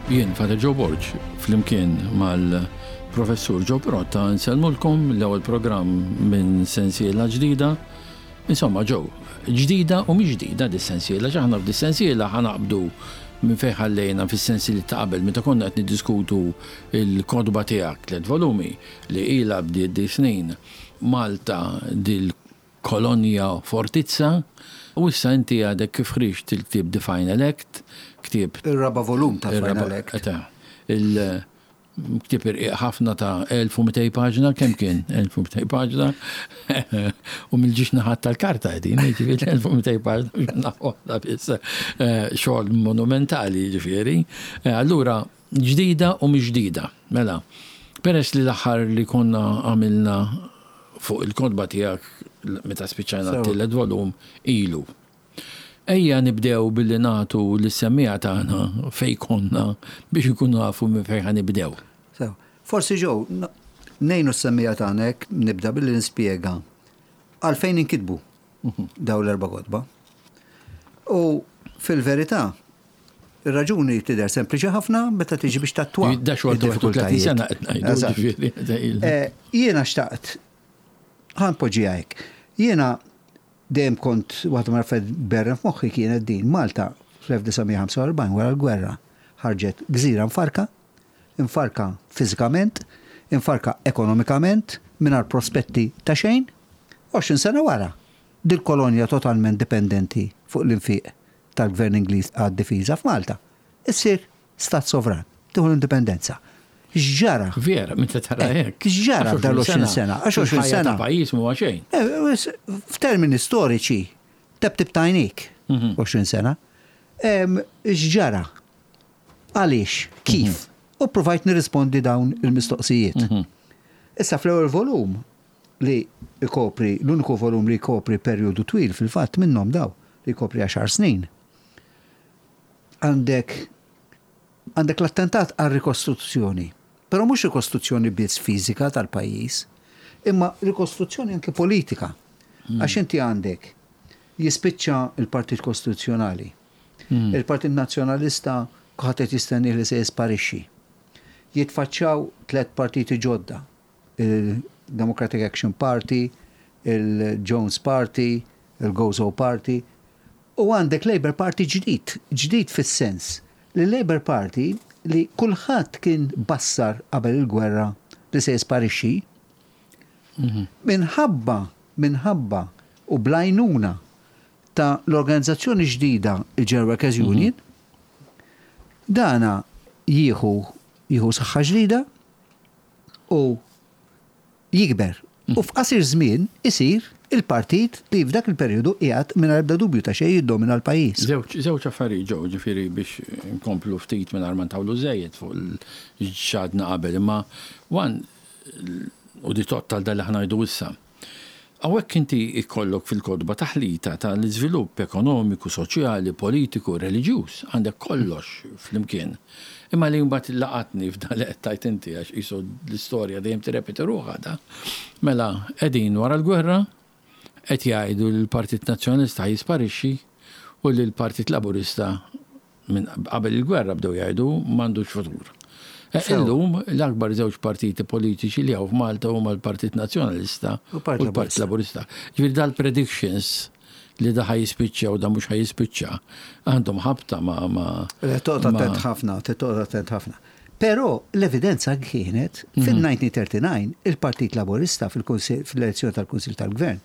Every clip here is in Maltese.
Jien Father Joe Borg flimkien mal-Professur Joe Pirotta nsellmulkom l-ewwel programm minn sensiela ġdida. Insomma Joe, ġdida u mhix ġdida dis-sensiela għax aħna f'dis-sensiela ħa naqbdu minn fejn ħallejna fis-sensiliet ta' qabel meta konna qed niddiskutu l-kotba tiegħek, tliet volumi, li ilha bdiet di snin, Malta dil-kolonja fortizza, u issa inti għadek kif ħriġt il-ktieb The Final Act, ktieb. Ir-raba' volum ta' Final Act. Il-ktieb irqiq ħafna ta' 1200 paġna, kemm kien? 1200 paġna, u mill-ġiex naħat tal-karta qegħdin, jiġifieri 1200 paġna biex naħa waħda biss. Xogħol monumentali jiġifieri. Allura, Ġdida u mhix ġdida. Mela, peress li l-aħħar li konna għamilna fuq il-kotba tiegħek meta spiċċajna t-tielet volum ilu. Ejja nibdew billi nagħtu lis-semmiegħa tagħna fejn konna biex inkunu nafu minn fejn ħa nibdew. Sew. Forsi Joe, ngħinu s-semmiegħa tagħna hekk nibda billi nispjega għalfejn inkitbu dawn l-erba' kotba. U fil-verità, Ir-raġuni tidher sempliċi ħafna meta tiġi biex tattwa. Da xogħol ta' 31 sena qed ngħidu. Eh, jiena xtaqt ħa npoġġiha hekk. Jiena dejjem kont waħda mill-affarijiet berren f'moħħi kienet din Malta fl-1945 wara l-gwerra ħarġet gżira mfarka, imfarka fiżikament, imfarka ekonomikament, mingħajr prospetti ta' xejn, 20 sena wara, dil-kolonja totalment dipendenti fuq l-infiq tal-Gvern Ingliż għad-difiża f'Malta, issir stat sovran, tieħu l-indipendenza. X'ġara? Vera, meta tara eh, hekk. X'ġara f'dan l-20 sena? Għax 20 sena. Pajjiż mhuwa xejn. Eh, f'termini storiċi, tebtib tajnik 20 mhm. sena. X'ġara? Għaliex? Kif? Mhm. U provajt nirrispondi dawn il-mistoqsijiet. Mhm. Issa fl-ewwel volum li jkopri, l-uniku volum li jkopri perjodu twil fil-fatt minnhom daw, li jkopri għaxar snin. Għandek għandek l-attentat għal rikostruzzjoni, però mhux rikostruzzjoni biss fiżika tal-pajjiż, imma rikostruzzjoni anke politika. Hmm. Għax inti għandek jispiċċa il-Partit Kostituzzjonali. Hmm. Il-Partit Nazzjonalista kulħadd qed jistennih li se jisparixxi. Jitfaċċaw tliet partiti ġodda, il-Democratic Action Party, il-Jones Party, il-Gozo Party, u għandek Labour Party ġdid, ġdid fis-sens li Labour Party li kulħadd kien bassar qabel il-gwerra li se jisparixxi, minħabba, minħabba u bl-għajnuna ta' l-organizzazzjoni ġdida il-General Workers Union, dana jieħu jieħu saħħa ġdida, u jikber. U f'qasir żmien isir il-partit li f'dak il-perjodu qiegħed mingħajr ebda dubju ta' xejn jiddomina l-pajjiż. Żewġ affarijiet ġew, ġifieri biex inkomplu ftit mingħajr ma ntawlu żejjed fuq x'għadna qabel, imma one u di tgħodd għal dan li ħa ngħidu issa. Hawnhekk inti jkollok fil-kotba taħlita ta' l-iżvilupp ekonomiku, soċjali, politiku, reliġjuż. Għandek kollox flimkien. Imma li mbagħad laqatni f'dan li qed tgħid inti għax qisu l-istorja dejjem tirrepeti ruħha da. Mela qegħdin wara l-gwerra, qed jgħidu li l-Partit Nazzjonalista ħa jisparixxi u li l-Partit Laburista Minn qabel il-gwerra bdew jgħidu m'għandux futur. Eh, illum l-akbar żewġ partiti politiċi li hawn f'Malta huma l-Partit Nazzjonalista u l-Partit Laburista. Ġifieri dal-predictions li da ħa jispiċċa u da mhux ħa jispiċċa għandhom ħabta ma' ma' Toqgħod attent ħafna, toqgħod attent ħafna. Però l-evidenza kienet mhm. fil-1939 il-Partit Laburista fil-elezzjoni tal-Kunsil tal-Gvern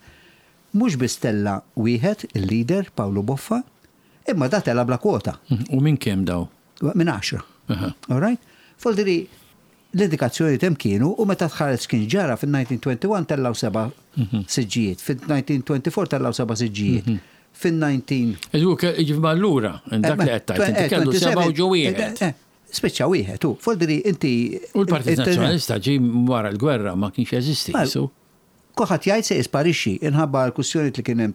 mhux biss tella wieħed il-leader Pawlu Boffa, Imma da tela' bla kwota. U minn kemm daw? Minn għaxra. All right? Voldiri, l-indikazzjonijiet hemm kienu u meta tħares kien ġara fin-1921 tellgħu seba' mhm. siġġijiet, fin-1924 tellgħu seba' siġġijiet. Mhm. Fin-19. Iġifieri allura, dak li qed tgħid, inti kellu seba' u ġo wieħed. Eh, eh, spiċċa wieħed u voldiri inti. U l-Partit Nazzjonalista ġie wara l-gwerra ma kienx jeżisti. Kulħadd jgħid se jisparixxi inħabba l-kwistjonijiet li kien hemm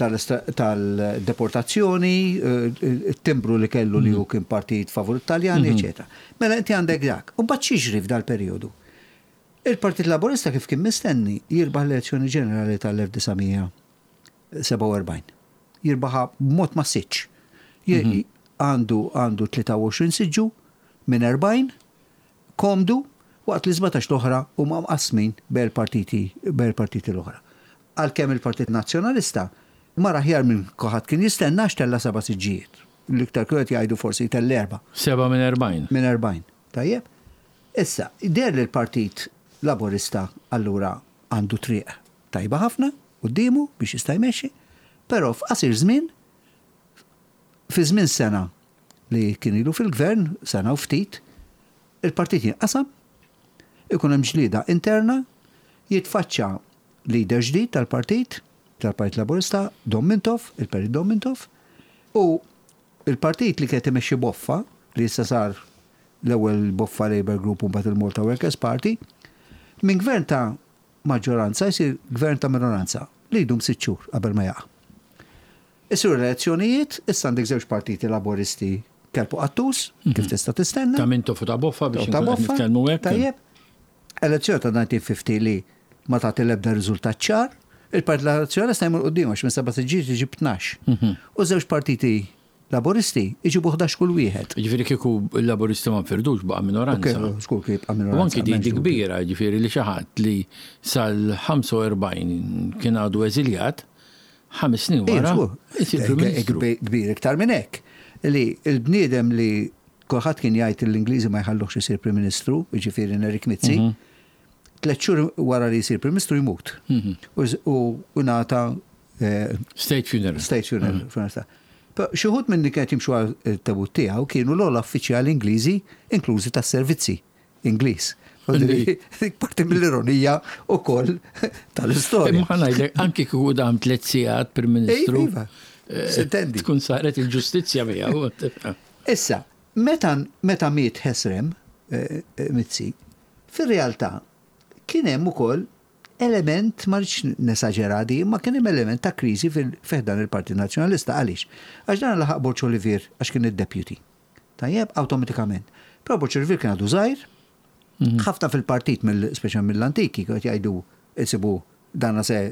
tal-deportazzjoni, it-timbru li kellu li hu kien partit favur it-Taljani, eċċetera. Mela inti għandek dak. U mbagħad x'jiġri f'dal-perjodu? Il-Partit Laburista kif kien mistenni jirbaħ l-elezzjoni ġenerali tal-1947. Jirbaħha b'mod massiċċ. Għandu għandu 23 siġġu minn 40, komdu, waqt li 17 l-oħra huma mqassmin bejn il-partiti bejn il-partiti l-oħra. Għalkemm il-Partit Nazzjonalista mar aħjar minn kulħadd kien jistenna għax tella' seba' siġġijiet. L-iktar kienu qed jgħidu forsi jtella' erbgħa. Seba' minn 40. Minn 40. Tajjeb? Issa, deher li l-Partit Laburista allura għandu triq tajba ħafna quddiemu biex jista' jmexxi, però f'qasir żmien, fi żmien sena li kien ilu fil-Gvern, sena u ftit, il-partit jinqasam, ikun hemm ġlieda interna, jitfaċċa leader ġdid tal-partit, tal-Partit Laburista, Dom Mintoff, il-Perit Dom Mintoff, u l-partit li kien qed imexxi Boffa, li issa sar l-ewwel Boffa Labour Group u mbagħad il-Malta Workers Party, minn gvern ta' maġġoranza jsir gvern ta' minoranza li jdum sitt xhur qabel ma jaqa'. Isiru l-elezzjonijiet, issa għandek żewġ partiti Laburisti kelb u qattus, kif tista' tistenna. Ta' Mintoff u ta' Boffa biex inkunu qed nitkellmu hekk. Tajjeb. Elezzjoni ta' 1950 li ma tagħti l-ebda riżultat ċar, il-Partit Nazzjonalista jmur quddiem għax minn seba' siġġijiet iġib 12. U żewġ partiti Laburisti jġibu 11 kull wieħed. Jiġifieri kieku l-Laburisti ma nfirdux baqa' minoranza. Żgur kien jibqa' minoranza. U anki din di kbira, jiġifieri li xi ħadd li sal-45 kien għadu eżiljat, ħames snin wara jsir Prim Ministru. Kbir iktar minn hekk. Li l-bniedem li kulħadd kien jgħid li l-Ingliżi ma jħalluhx isir Prim Ministru, jiġifieri Nerik Mizzi, tliet xhur wara li jsir Prim Ministru jmut. U ngħata State funeral. State funeral. Xi wħud minn li kienet jimxu għal tabut tiegħu kienu l-ogħla uffiċjali Ingliżi, inklużi tas-servizzi Ingliż. Dik parti mill-ironija wkoll tal-istorja. Imma ngħidlek anki kieku dam tliet sigħat Prim Ministru. Iva, sintendi. Tkun saret il-ġustizzja miegħu. Issa, meta meta miet Ħesrem Mizzi, fir-realtà kien hemm ukoll element, ma rridx nesaġera di, imma kien hemm element ta' kriżi fi ħdan il-Partit Nazzjonalista. Għaliex? Għax dan laħaq Borg Olivier għax kien id-deputy. Tajjeb, awtomatikament. Però Borg Olivier kien għadu żgħir, ħafna fil-partit, speċjalment mill-antiki, kienu qed jgħidu insibu dana se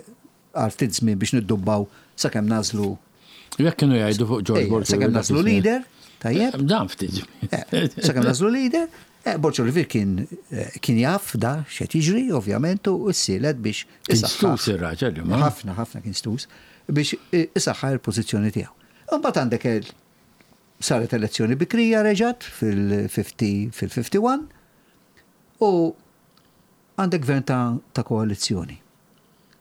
għal ftit żmien biex niddubbaw sakemm nagħżlu. Jekk kienu jgħidu fuq George Borg. Sakemm nagħżlu leader, tajjeb. Dan ftit żmien. Sakemm nagħżlu leader, Borg Olivier kien kien jaf da x'qed jiġri, ovvjament, u ssielet biex. Kien stus ir-raġel, imma. Ħafna, ħafna kien stus biex isaħħaħ il-pożizzjoni tiegħu. Imbagħad għandek saret elezzjoni bikrija reġgħet fil-50 fil-51 u għandek gvern ta', ta koalizzjoni.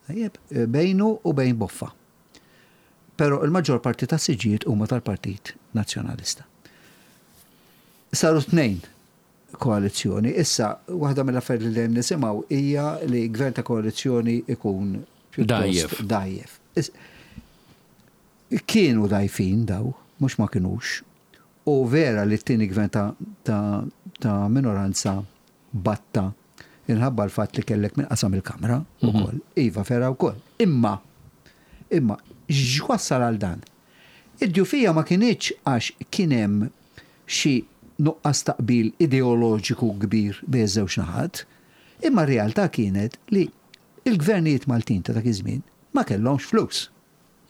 Tajjeb, bejnu u bejn Boffa. Però il-maġġor parti tas-siġġijiet huma tal-Partit Nazzjonalista. Saru tnejn koalizzjoni. Issa, waħda mill-affarijiet li dejjem nisimgħu hija li gvern ta' koalizzjoni ikun pjuttost dgħajjef. Kienu dgħajfin daw, mhux ma kinux. U vera li t-tieni gvern ta', ta, ta minoranza batta inħabba l-fatt li kellek min qasam il-Kamra ukoll. Iva, vera wkoll. Imma, imma, x'wassal għal dan? Id-djufija ma kinitx għax kien hemm xi nuqqas ta' qbil ideoloġiku kbir bejn iż-żewġ naħat, imma r-realtà kienet li l-gvernijiet Maltin ta' dak iż-żmien ma kellhomx flus.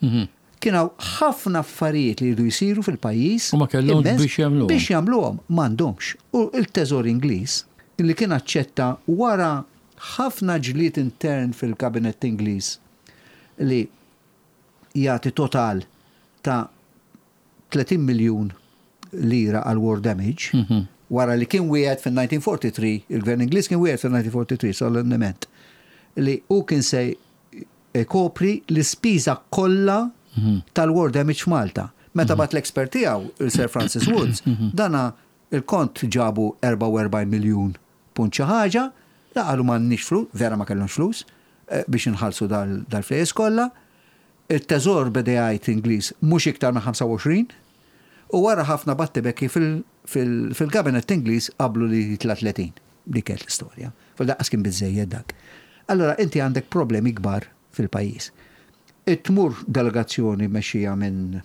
Kien hawn ħafna affarijiet li jridu jsiru fil-pajjiż. U ma kellhomx biex jagħmluhom. Biex jagħmluhom m'għandhomx. U l-Teżor Ingliż, li kien aċċetta wara ħafna ġlied intern fil-Kabinett Ingliż li jagħti total ta' 30 miljun lira għal war damage, wara li kien wiegħed fin-1943, il-Gvern Ingliż kien wiegħed fin-1943 solennement li hu kien se jkopri l-ispiża kollha tal-war damage f'Malta. Meta bagħat l-expert tiegħu, il-Sir Francis Woods, dana il-kont ġabu 44 miljun punt xi ħaġa, la qalu m'għandniex flus, vera ma kellhomx flus, biex inħallsu dal-flejjes kollha. Il-Teżor beda jgħid Ingliż mhux iktar minn 25, u wara ħafna battibekki fil-Kabinett Ingliż qablu li jitla' 30. Dik kienet l-istorja. Lanqas kien biżżejjed dak. Allura inti għandek problemi kbar fil-pajjiż. Tmur delegazzjoni mmexxija minn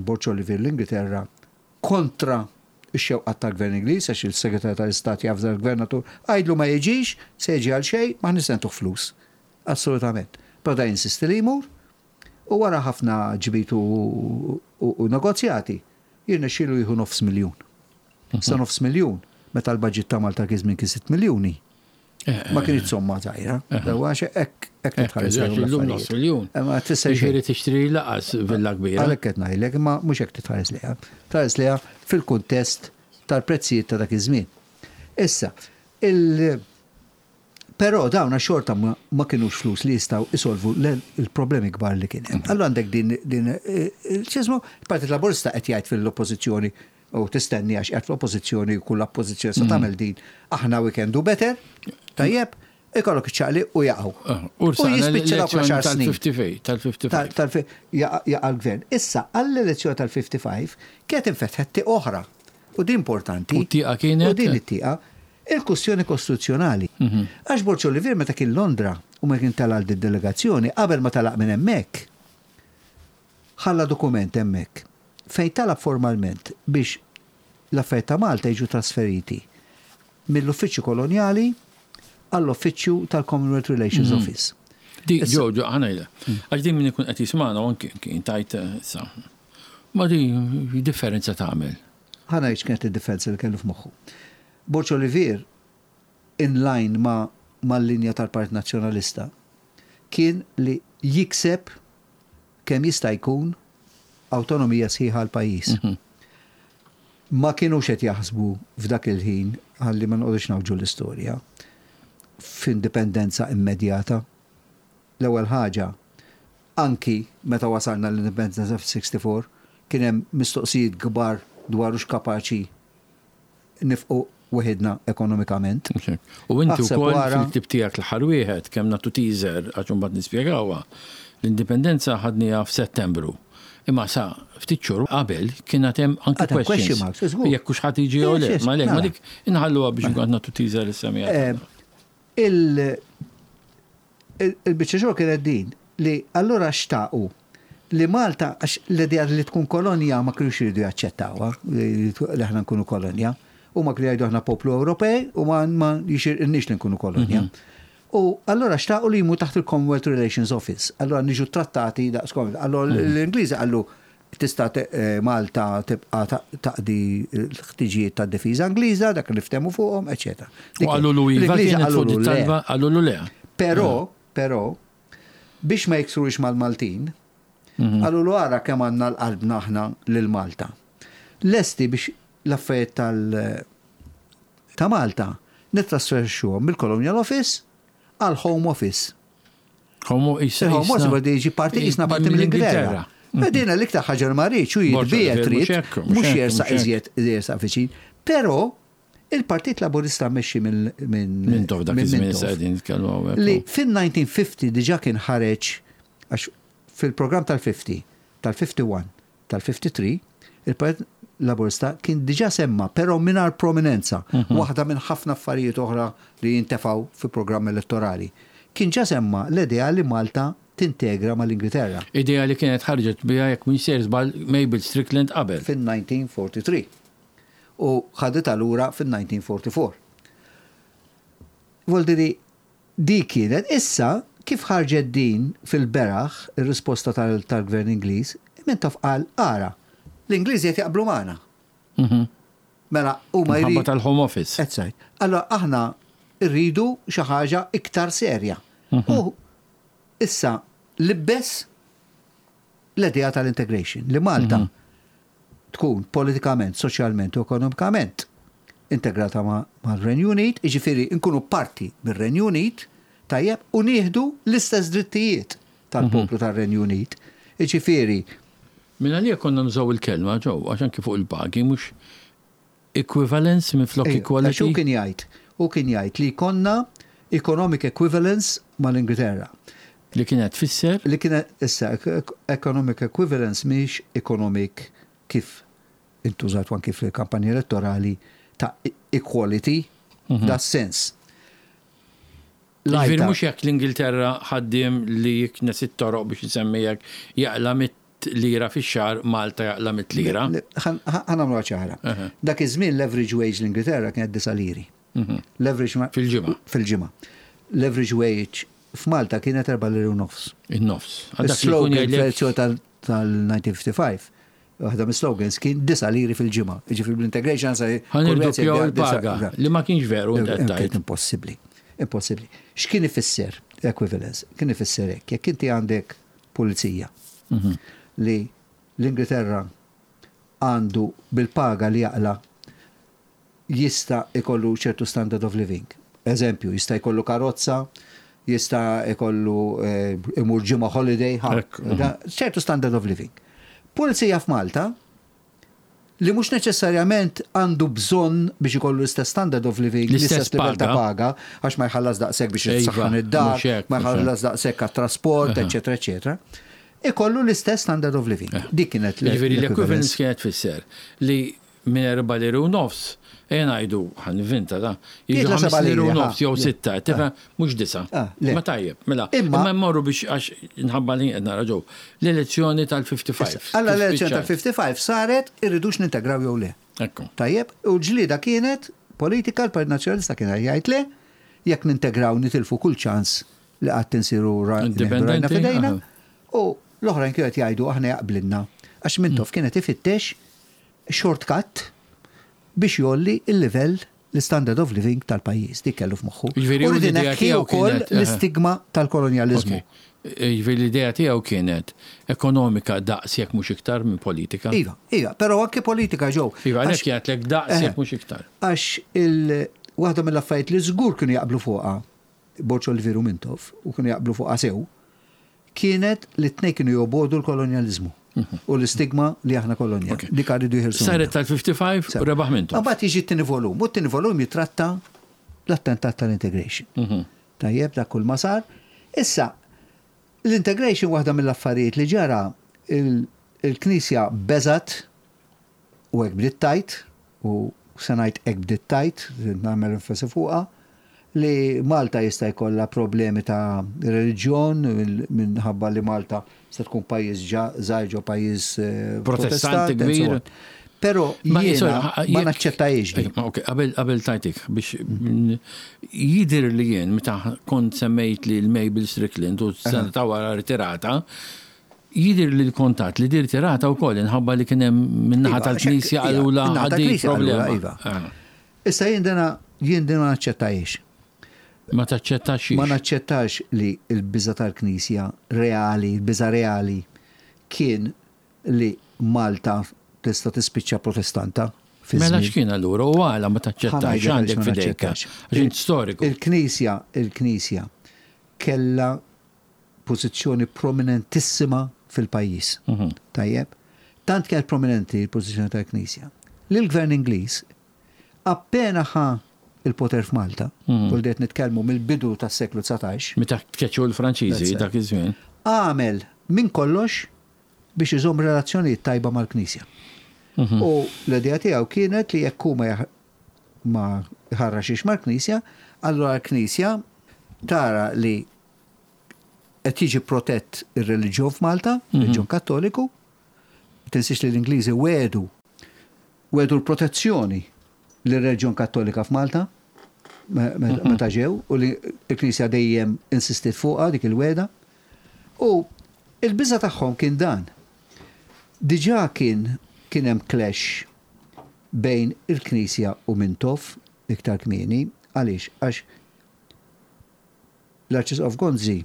Borg Olivier l-Ingilterra kontra x-xewqat tal-Gvern Ingliż għax il-Segretarju tal-Istat javża l-Gvernatur għidlu ma jiġix, se jiġi għal xejn, m'aħniex se ntuh flus. Assolutament. Però da jinsisti li jmur u wara ħafna ġbid u negozjati. Jirnexxielu jieħu nofs miljun. Sa nofs miljun, meta l-budget ta' Malta kien żmien kien 6 miljuni. Ma kienx somma żgħira. Għax hekk hekk titħares lejhom nofs miljun. Ma tfisser xejn. tixtri laqas villa kbira. Għalhekk qed ngħidlek, imma mhux hekk titħares lejha. Tħares lejha fil-kuntest tal-prezzijiet ta' dak iż-żmien. Issa, il Però dawna xorta ma kinux flus li jistgħu isolvu l-problemi kbar li kien hemm. Allura għandek din din x'ismu, il-Partit Laburista qed jgħid fil-Oppożizzjoni u tistenni għax qiegħed fl-Oppożizzjoni u kull Oppożizzjoni se tagħmel din, aħna we can do better, tajjeb, ikollok iċ-ċaqliq u jaqgħu. U jispiċċa dawk l-għaxar snin. Tal-55. Tal jaqa' l-gvern. Issa għall-elezzjoni tal-55 kienet infetħet tieqa oħra. U din importanti. U t-tieqa kienet? U din it-tieqa Il-kwistjoni kostituzzjonali. Għax Borg Olivier meta kien Londra u meta kien tela' għal did-delegazzjoni, qabel ma telaq minn hemmhekk, ħalla dokument hemmhekk fejn talab formalment biex l-affarijiet ta' Malta jiġu trasferiti mill-Uffiċċju Kolonjali għall-Uffiċċju tal-Commonwealth Relations Office. Di, ġo, ġo, ħa ngħidlek. Għax din min ikun qed jismagħna u anki tajt issa. Ma di differenza tagħmel. Ħa ngħid x'kienet id-differenza li kellu f'moħħu. Borg Olivier, in line ma' mal-linja tal-Partit Nazzjonalista, kien li jikseb kemm jista' jkun awtonomija sħiħa għall-pajjiż. Ma kinux qed jaħsbu f'dak il-ħin, ħalli ma noqogħdux ngħawġu l-istorja, f'indipendenza immedjata. L-ewwel ħaġa, anki meta wasalna l-indipendenza fis-64, kien hemm mistoqsijiet kbar dwar hux kapaċi nifqu weħidna ekonomikament. U inti wkoll fil-ktieb tiegħek l-aħħar wieħed, kemm nagħtu teaser għax imbagħad nispjegawha, l-indipendenza ħadniha f'Settembru. Imma sa ftit xhur qabel kien għad hemm anki question marks. Jekk hux ħadd jiġi jew le. Ma le, ma dik inħalluha biex nkun qed nagħtu teaser lis-semgħa. Il-biċċa xogħol kienet din li allura xtaqu li Malta għax l-idea li tkun kolonja ma kinux iridu jaċċettawha li aħna nkunu kolonja. Huma kienu jgħidu aħna poplu Ewropej u ma jixirqilniex li nkunu kolonja. U allura xtaqu li jmur taħt il-Commonwealth Relations Office. Allura niġu trattati daqs Commonwealth. Allura l-Ingliżi qallu tista' Malta tibqa' taqdi l-ħtiġijiet tad-difiża Ingliża, dak li ftehmu fuqhom, eċċetera. U qalulu iva kienet fuq dit-talba, qalulu le. Però, però, biex ma jiksrux mal-Maltin, qalulu ara kemm għandna l-qalbna aħna lil Malta. Lesti biex l-affarijiet tal ta' Malta nittrasferixxuhom mill-Colonial Office għal Home Office. Home Office. Home Office bada jiġi parti jisna parti mill-Ingilterra. Din l-iktar ħaġa li ma rridx u jitbiegħed trid mhux jersaq iżjed jersaq viċin. Però il-Partit Laburista mmexxi minn Mintoff dak iż-żmien issa qegħdin nitkellmu hawnhekk. Li fin-1950 diġà kien ħareġ għax fil-programm tal-50, tal-51, tal-53, il-Partit Laburista kien diġà semma, però mingħajr prominenza, waħda minn ħafna affarijiet oħra li jintefgħu fi programm elettorali. Kien ġa semma l-idea li Malta tintegra mal-Ingilterra. Idea li kienet ħarġet biha, jekk m'iniex sejjer żball, Mabel Strickland qabel. Fin-1943. U ħaditha lura fin-1944. Voldiri, Dik kienet. Issa, kif ħarġet din fil-beraħ, ir-risposta tal-Gvern Ingliż, Mintoff qal, ara, l-Ingliżi qed jaqblu magħna. Mela, huma jridu. Minħabba tal-Home Office. Eżatt. Allura aħna rridu xi ħaġa iktar serja. U issa libbes l-idea tal-integration, li Malta tkun politikament, soċjalment u ekonomikament integrata mar-Renju Unit, jiġifieri nkunu parti mir-Renju Unit, tajjeb, u nieħdu l-istess drittijiet tal-poplu tar-Renju Unit. Jiġifieri. Minn għalija konna nużaw il-kelma, Joe, għax anki fuq il-pagi mhux equivalence minflok equality. Għax hu kien jgħid, hu kien jgħid li jkollna economic equivalence mal-Ingilterra. Li kienet tfisser? Li kienet, issa, economic equivalence mhix economic kif intużat anki fil-kampanja elettorali ta' equality, f'das-sens. Jiġifieri mhux jekk l-Ingilterra ħaddiem li jiknes it-toroq biex insemmi hekk jaqla' lira fix-xahar Malta jaqla' mitt lira. Ħa nagħmluha ċara. Dak iż-żmien l-average wage l-Ingilterra kienet disa' liri. L-average Fil-ġimgħa. Fil-ġimgħa. L-average wage f'Malta kienet erba' liri u nofs. In-nofs. Is-slogan fl-elezzjoni tal-1955. Waħda mis-slogans kien 9 liri fil-ġimgħa. Jiġifieri bl-integration sa Ħa nirdoppjaw il-paga, li ma kienx veru inti qed Kien tgħid. impossibbli. Impossibbli. X'kien ifisser equivalence? Kien ifisser hekk. Jekk inti għandek pulizija li l-Ingilterra għandu bil-paga li jaqla jista' ikollu ċertu standard of living. Eżempju, jista' jkollu karozza, jista' ikollu imur ġimgħa holiday, ha, ċertu standard of living. Pulizija f'Malta li mhux neċessarjament għandu bżonn biex ikollu l-istess standard of living, l-istess l-istess livell ta' paga. paga, għax ma jħallas daqshekk biex jitsaħħan id-dar, mhux hekk, ma mhux hekk. jħallas daqshekk għat-trasport, eċetera, eċetera. Ikollu l-istess standard of living. Dik kienet Jiġifieri l-equivalence kienet tfisser li minn 4 liri u nofs, ejja ngħidu, ħa nivvinta da, jiġu Jitla 5 7 liri u liri, nofs jew 6, tifhem, mhux 9. Ah, le. Ma tajjeb, mela. Imma- Imma mmorru biex għax nħabba li qed nara ġew. L-elezzjoni tal-55. Alla Kif l-elezzjoni spiċċat? tal-55 saret irridux nintegraw jew le. Ekku. Tajjeb, u ġlida kienet politika l-Partit Nazzjonalista kien jgħid le, jekk nintegraw nitilfu kull ċans li qatt insiru Indipendenti, rajna fidejna. U l-oħrajn kienu qed jgħidu aħna jaqblinna. Għax Mintoff kienet ifittex shortcut biex jgħolli il-livell l-standard of living tal-pajjiż. Dik kellu f'moħħu. Jiġifieri U u rrid l-idea ineħħi tiegħu wkoll kienet, l-istigma tal-kolonjaliżmu. Ok. Jiġifieri l-idea tiegħu kienet ekonomika daqs jekk mhux iktar minn politika. Iva, però anke politika ġew. Iva, Għax- għalhekk jgħidlek daqs jekk mhux iktar. Għax il waħda mill-affarijiet li żgur kienu jaqblu fuqha Borg Olivier u Mintoff u kienu jaqblu fuqha sew, kienet li t-tnejn kienu jobogħdu l-kolonjaliżmu u l-istigma li aħna kolonja. Ok. Dik għaridu jħirsu. Saret tal-55 u rebaħ Mintoff. Mbagħad jiġi t-tieni volum, u t-tieni volum jitratta l-attentat tal-integration. Tajjeb, dak kull ma sar. Issa, l-integration waħda mill-affarijiet li ġara il- il-Knisja beżat u hekk bdiet tgħid, u se ngħid hekk bdiet tgħid, nagħmel enfasi fuqha, li Malta jista' jkollha problemi ta' reliġjon minħabba li Malta se tkun pajjiż żgħir ġo pajjiż Protestanti Protestant, and so kbir. on. Però Ma, jiena sorry, ma jekk- naċċettajiex din. Ma, ok, qabel tajtik biex jidir li jien meta kont semmejt li l-Mabel Strickland u sena ta' wara ritirata, jidir li l-kontat li di ritirata u koll inħabba li kien hemm min-naħa Iva, tal-Knisja għax hekk- għalula iva, min-naħa għaddi tal-Knisja problema. qalula, iva. Ah. Issa jien dana jien dina ma naċċettajiex. Ma taċċettax Ma naċċettax li l-biża tal-Knisja reali, il-biża reali kien li Malta tista' tispiċċa protestanta. fi Mela żmien. x'kien allura u għala ma taċċettax Ħa ngħidlek għandek għaliex ma fidejka. naċċettax. Għax int storiku. Il-Knisja, il-Knisja kella pożizzjoni prominentissima fil-pajjiż. Tajjeb? Tant kienet prominenti l-pożizzjoni tal-Knisja. Li l-Gvern Ingliż appena ħa il-poter f'Malta, u li qed nitkellmu mill-bidu tas-seklu 19, Meta tkeċċu l-Franċiżi That's it. dak iż-żmien. għamel minn kollox biex iżomm relazzjonijiet tajba mal-Knisja. U l-idea tiegħu kienet li jekk hu ma jaħ- ma jħarraxix mal-Knisja, allura l-Knisja tara li qed jiġi protett ir-reliġjon f'Malta, reliġjon Kattoliku, tinsiex li l-Ingliżi wedu wedu l-protezzjoni lir-reliġjon Kattolika f'Malta meta ġew u li l-Knisja dejjem insistiet fuqha dik il-weda. U il-biża tagħhom kien dan. Diġà kien hemm clash bejn il-Knisja u Mintoff iktar kmieni, għaliex għax l-Arċisqof Gonzi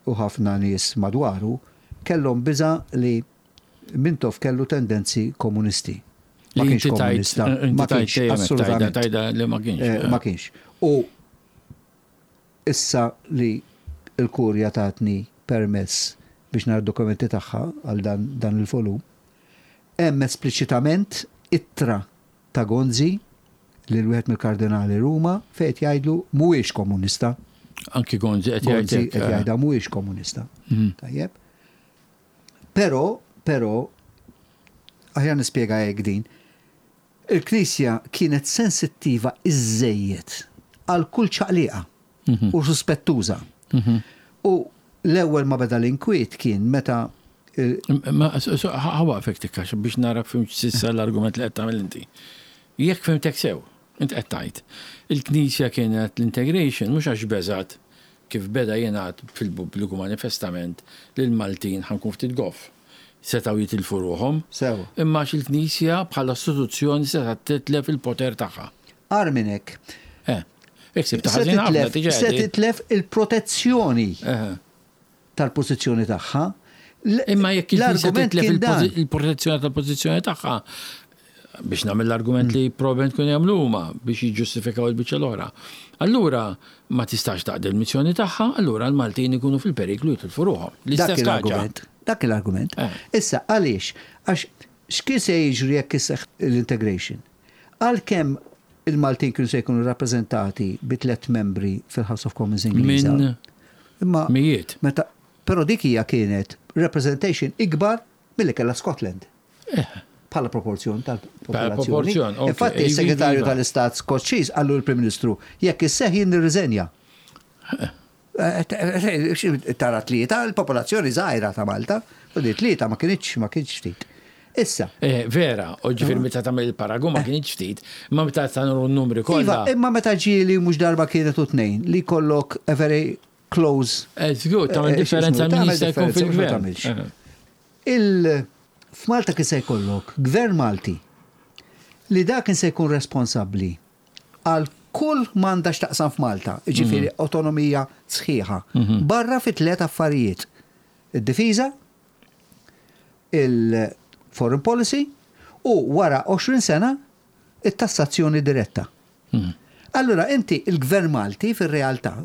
u ħafna nies madwaru kellhom biża li Mintoff kellu tendenzi komunisti. Ma Li kienx inti tajt- komunista, inti ma tajt kienx, dejjem hekk tajda- assolutament. tajda li ma kienx. Ma kienx. U issa li il-kurja tatni permess biex nara dokumenti tagħha għal dan il-volum, hemm espliċitament ittra ta' Gonzi lil wieħed mill-kardinali Ruma fejn qed jgħidlu mhuwiex komunista. Anki Gonzi qed jgħid Gonzi hekk, qed jgħidha mhuwiex komunista. Tajjeb. Però, però, aħjar nispjega hekk din, il-Knisja kienet sensittiva iżżejjed għal kull ċaqliqa u suspettuża. U l-ewwel ma beda l-inkwiet kien meta Ma ħawaqfek tikkax biex nara fimx sissa l-argument li qed tagħmel inti. Jekk fimtek sew, int qed tgħid. Il-Knisja kienet l-integration mhux għax beżat kif beda jingħad fil-pubbliku manifestament li l-Maltin ħankun ftit goff. setgħu jitilfu ruħhom. Sewa. Imma għax il-Knisja bħala istituzzjoni setgħet titlef il-poter tagħha. Agħar minn hekk. Eh. Iksib ta' ħażin ħafna diġà. Se titlef il-protezzjoni tal-pożizzjoni tagħha. Imma jekk il-Knisja titlef il-protezzjoni tal-pożizzjoni tagħha, biex nagħmel l-argument li probablement kienu jagħmlu huma biex jiġġustifikaw il-biċċa l-oħra. Allura ma tistax taqdi l-missjoni tagħha, allura l-Maltin ikunu fil-periklu jitilfu ruħhom. L-istess argument. Dak l-argument. Eh. Issa għaliex? Għax x'kien se jiġri jekk isseħħ l-integration? Għalkemm il-Maltin kienu se jkunu rappreżentati bi tlett membri fil-House of Commons Ingliża. Minn Imma mijiet. Meta, però dik hija kienet representation ikbar milli kellha Scotland. Eh. Bħala proporzjon tal-popolazzjoni. Proporzjon, ok. Infatti, is-Segretarju Iva. tal-Istat Skoċċiż qallu l-Prim Ministru, jekk isseħħ jien nirriżenja. Eh. Tara tlieta, l-popolazzjoni żgħira ta' Malta, u di tlieta ma kienx ma kienx ftit. Issa. Eh, vera, u ġifieri meta tagħmel il-paragun ma kienx ftit, imma meta tagħmlu n-numri kollha. Iva, imma meta ġieli mhux darba kienet u tnejn li jkollok a very close. Eh, żgur, tagħmel eh, differenza min jista' jkun fil-gvern. Il f'Malta kien se jkollok gvern Malti li dak kien se jkun responsabbli għal kull m'għandha x'taqsam f'Malta, jiġifieri mhm. autonomija sħiħa, mhm. barra fi tliet affarijiet. Id-difiża, il-foreign policy u wara 20 sena it-tassazzjoni diretta. Mhm. Allura inti il-gvern Malti fir-realtà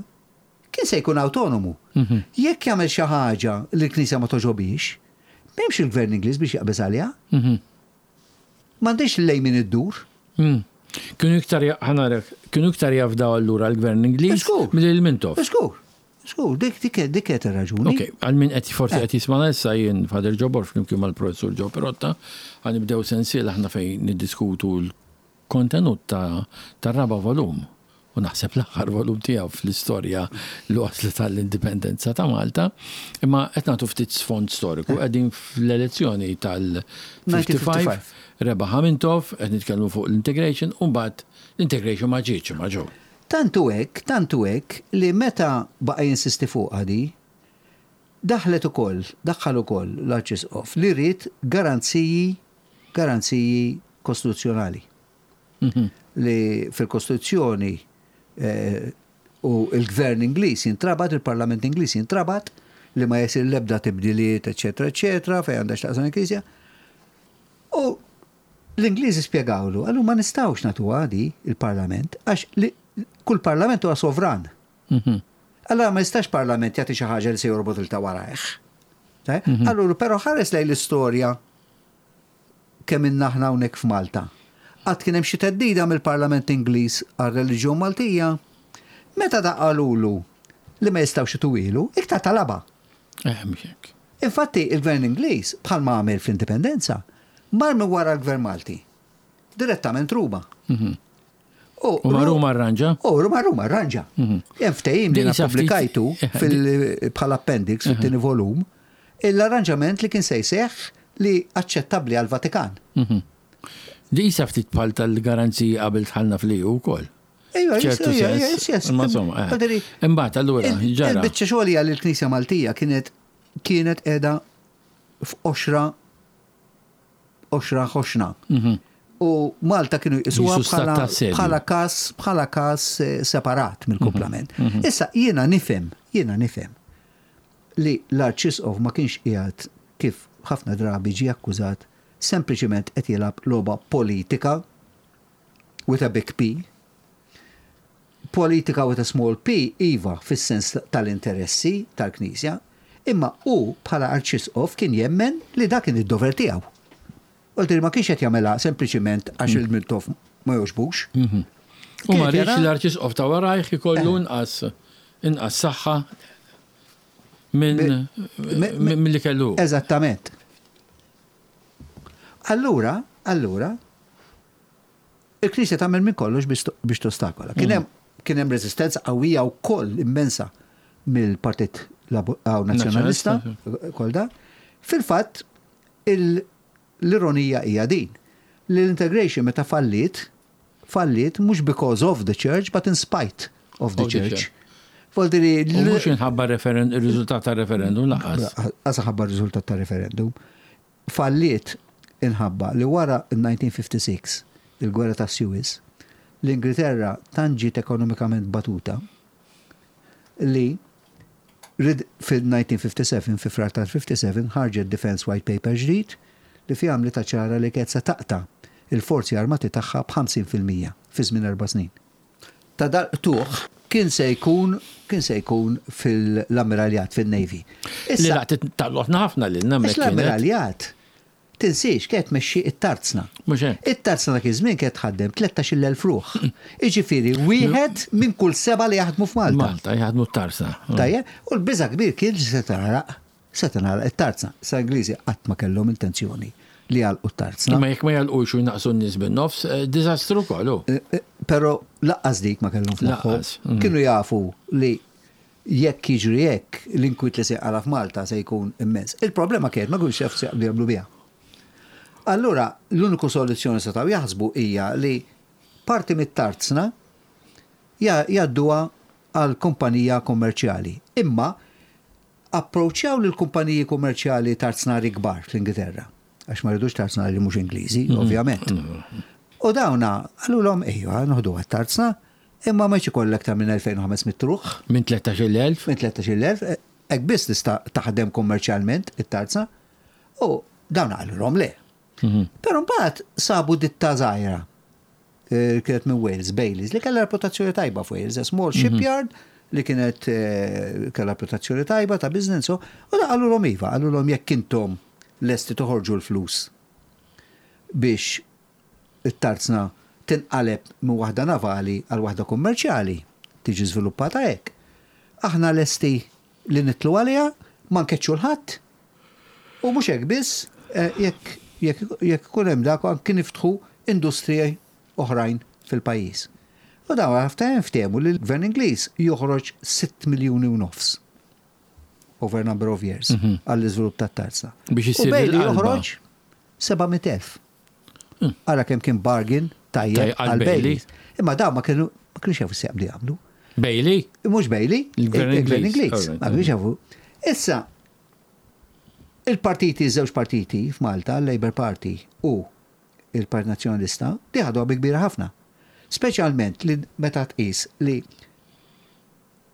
kien se jkun autonomu. Jekk jagħmel xi ħaġa li l-Knisja ma toġobix, m'hemmx il-gvern Ingliż biex jaqbeż għaliha. M'għandix lejn min iddur. Hmm. Kienu iktar, ħanarek, kienu iktar jafdaw allura l-gvern Ingliż milli l-Mintoff. Żgur, żgur, dik dik dik qed ir-raġuni. Ok, għal min qed forsi qed jismana issa jien Father Joe Borg flimkien mal-Professur Joe Pirotta, ħa nibdew sensiela aħna fejn niddiskutu l-kontenut ta' tar-raba' volum u naħseb l-aħħar volum tiegħu fl-istorja li waslet għall-indipendenza ta' Malta, imma qed nagħtu ftit sfond storiku, qegħdin fl-elezzjoni tal-55, rebaħ Mintoff, qed nitkellmu fuq l-integration, u mbagħad l-integration ma ġietx imma ġew. Tant hu hekk, tant hu hekk li meta baqa' jinsisti fuqha di, daħlet ukoll, daħħal ukoll l-Arċisqof li ried garanziji, garanziji kostituzzjonali. Li fil-Kostituzzjoni u l-Gvern Ingliż jintrabat, il-Parlament Ingliż jintrabat li ma jsir l-ebda tibdiliet, eċċetera, eċċetera, fejn għandha x'taqsam il-Knisja. U l-Ingliżi spjegawlu, qalu ma nistgħux nagħtuha di il-Parlament għax kull parlament huwa sovran. Allora ma jistax parlament jagħti xi ħaġa li se jorbot il ta' warajh. Allura però ħares lejn l-istorja kemm ilna aħna hawnhekk f'Malta. Qatt kien hemm xi theddida mill-Parlament Ingliż għar-reliġjon Maltija? Meta da qalulu li ma jistgħux ituhielu, iktar talabha. Eh, mhux hekk. Infatti, il-Gvern Ingliż, bħalma għamel fl-Indipendenza, mar minn wara l-Gvern Malti. Direttament Ruma. Mhm. U ma Ruma arranġa? U ma Ruma arranġa. Mhm. Hemm ftehim li pubblikajtu eh, bħala appendix mhm. fit-tieni volum, l-arranġament li kien se jseħħ li aċċettabbli għall-Vatikan. Mhm. Di jisa ftit bħal tal-garanziji qabel tħallna fl-EU wkoll. Ejwa, ċertu sens. Imma insomma, eh. Imbagħad allura ġara. Il-biċċa xogħol hija li l-Knisja Maltija kienet kienet qiegħda f'qoxra qoxra ħoxna. Mhm. U Malta kienu jqisuha bħala każ bħala każ eh, separat mill-kumplament. Mhm. Mhm. Issa jiena nifhem, jiena nifhem li l-Arċisqof ma kienx qiegħed kif ħafna drabi ġie akkużat sempliċiment qed jilgħab logħba politika with a big P. Politika with a small p, iva, fis-sens tal-interessi tal-Knisja, imma hu bħala Arċisqof kien jemmen li dak kien id-dover tiegħu. Vuol ma kienx qed jagħmilha sempliċiment għax mm. il-Mintoff ma jogħġbux. Mhm. U ma rridx l-Arċisqof ta' warajh ikollu eh. inqas inqas saħħa minn milli kellu. Eżattament. Allura, allura, Il-Knisja tagħmel minn kollox biex tostakola. Kien hemm kien hemm reżistenza qawwija wkoll immensa mill-Partit Nazzjonalista, kol da. Fil-fatt, l-ironija hija din, li l-integration meta falliet, falliet mhux because of the church, but in spite of the church. Voldiri. U mhux inħabba il-riżultat tar-referendum lanqas. Lanqas inħabba r-riżultat tar-referendum. Falliet inħabba li wara 1956, il-gwerra ta' Suez, l-Ingilterra tant ġiet ekonomikament batuta li fil-1957, fi Frar tal-57, ħarġet Defence White Paper ġdid li fiha għamlitha ċara li kienet se taqta' il-forzi armati tagħha b'50% fi żmien 4 snin. Ta' dal-qtugħ kien se jkun fil-ammiraljat, fil-Navy. Li laqtet tal-lotna ħafna lilna. Għax l-ammiraljat, tinsiex, kienet tmexxi it-tarzna. Mhux hekk. It-tarzna dak iż-żmien kienet tħaddem 13,000 ruħ. Iġifieri wieħed minn kull seba' li jaħdmu f'Malta. Malta jaħdmu t-tarzna. Tajjeb, u l-biża kbir kien li se tagħlaq it-tarzna. Sa Ingliżi qatt ma kellhom intenzjoni li jagħlqu t-tarzna. Ma jekk ma jagħlqux u jnaqsu n-nies bin-nofs, diżastru kollu. Però lanqas dik ma kellhom f'moħħhom. Lanqas. Kienu jafu li jekk jiġri hekk, l-inkwiet li se jqala f'Malta se jkun immens. Il-problema kienet ma kinux jafu se jaqbdu jagħmlu biha. Allura, l-uniku soluzzjoni setgħu jaħsbu hija li parti mit-tarzna jgħadduha għal kumpanija kummerċjali. Imma approċċjaw lil kumpaniji kummerċjali tarznari kbar fl-Ingilterra. Għax ma ridux tarznari li mhux Ingliżi, ovvjament. U dawna, qalulhom ejja, noħdu għat-tarzna, imma ma ikollek ta' minn 2500 ruħ, Minn 13,000. minn 13,000, hekk biss tista' taħdem kummerċjalment it-tarzna, u dawna qalulhom le. Però mbagħad sabu ditta żgħira kienet minn Wales, Baileys, li kellha reputazzjoni tajba f'Wales, a small shipyard li kienet kellha reputazzjoni tajba ta' business, u da qalulhom iva, qalulhom jekk intom lesti toħorġu l-flus biex it-tarzna tinqaleb minn waħda navali għal waħda kummerċjali, tiġi żviluppata hekk. Aħna lesti li nidħlu għaliha, ma nkeċċu 'l ħadd, u mhux hekk biss, jekk ikun hemm dak anki niftħu industriji oħrajn fil-pajjiż. U dawn ħafna ftehmu li l-Gvern Ingliż joħroġ 6 miljuni u nofs over number of years għall-iżvilupp tat-tarzna. Biex U issir Bailey il-qalba. joħroġ 700,000. Ara kemm kien bargain tajjeb Tajjeb għal għal Bailey. Bailey. Imma dawn ma kienux jafu x'se jaqbdu jagħmlu. Bailey? Mhux Bailey, Il-Gvern il-Gvern Ingliż. Ingliż. Alright, Ma kienux jafu. Issa, il-partiti, żewġ partiti f'Malta, l-Labour Party u il-Partit Nazzjonalista, di ħaduha bi kbira ħafna. Speċjalment li meta tqis li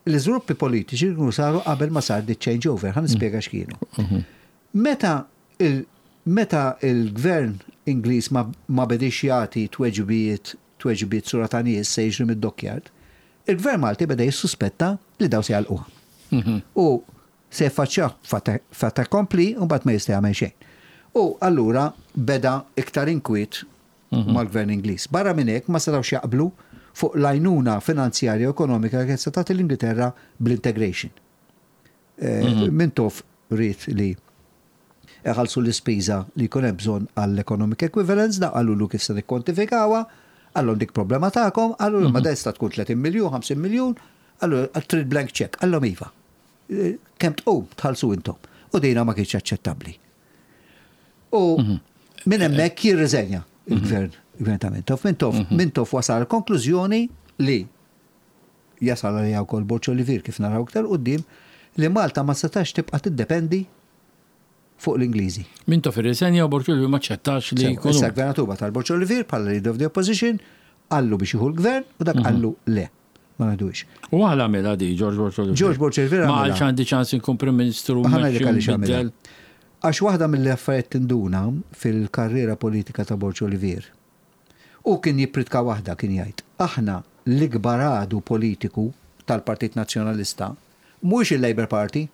l-iżviluppi politiċi kienu saru qabel ma sar di changeover, ħa nispjega x'kienu. Meta il-gvern Ingliż ma bedix jagħti tweġibiet sura ta' nies se jiġri mid-dockyard, il-gvern Malti beda jissuspetta li daw se jagħlquha. U se jaffaċċjaw fait accompli u mbagħad ma jista' jagħmel xejn. U allura beda iktar inkwiet mal-gvern Ingliż. Barra minn hekk ma setgħux jaqblu fuq l-għajnuna finanzjarja u ekonomika li se tagħti l-Ingilterra bl-integration. Mintoff ried li iħallsu l-ispiża li jkun hemm bżonn għall-economic equivalence, da qalulu kif se nikkwantifikawha, qalhom dik problema tagħkom, qallu ma da jista' tkun 30 miljun, 50 miljun, qallu trid blank check, qalhom iva. Kemm tqum tħallsu intom. U dina ma kienx aċċettabbli. U minn hemmhekk jirriżenja il-gvern, il-gvern ta' Mintoff. Mintoff wasal konklużjoni li jasal għalija wkoll Borg Olivier kif naraw iktar quddiem li Malta ma setax tibqa' tiddependi fuq l-Ingliżi. Mintoff irriżenja u Borg Olivier ma ċettax li Sewa, jkunu. Issa gvernatur bagħat Borg Olivier bħala leader of the opposition, qallu biex jieħu l-gvern u dak qallu le. Ma ngħidux. U għala għamilha di, George Borg Olivier. George Borg Olivier Ma għamilha. għalx għandi ċans inkun Prim Ministru. Ħa ngħidlek mmexxi u għaliex għamilha. nbiddel. Għax waħda mill-affarijiet tinduna fil-karriera politika ta' Borg Olivier. U kien jippritka waħda kien jgħid, aħna l-ikbar għadu politiku tal-Partit Nazzjonalista, mhux il-Labour Party,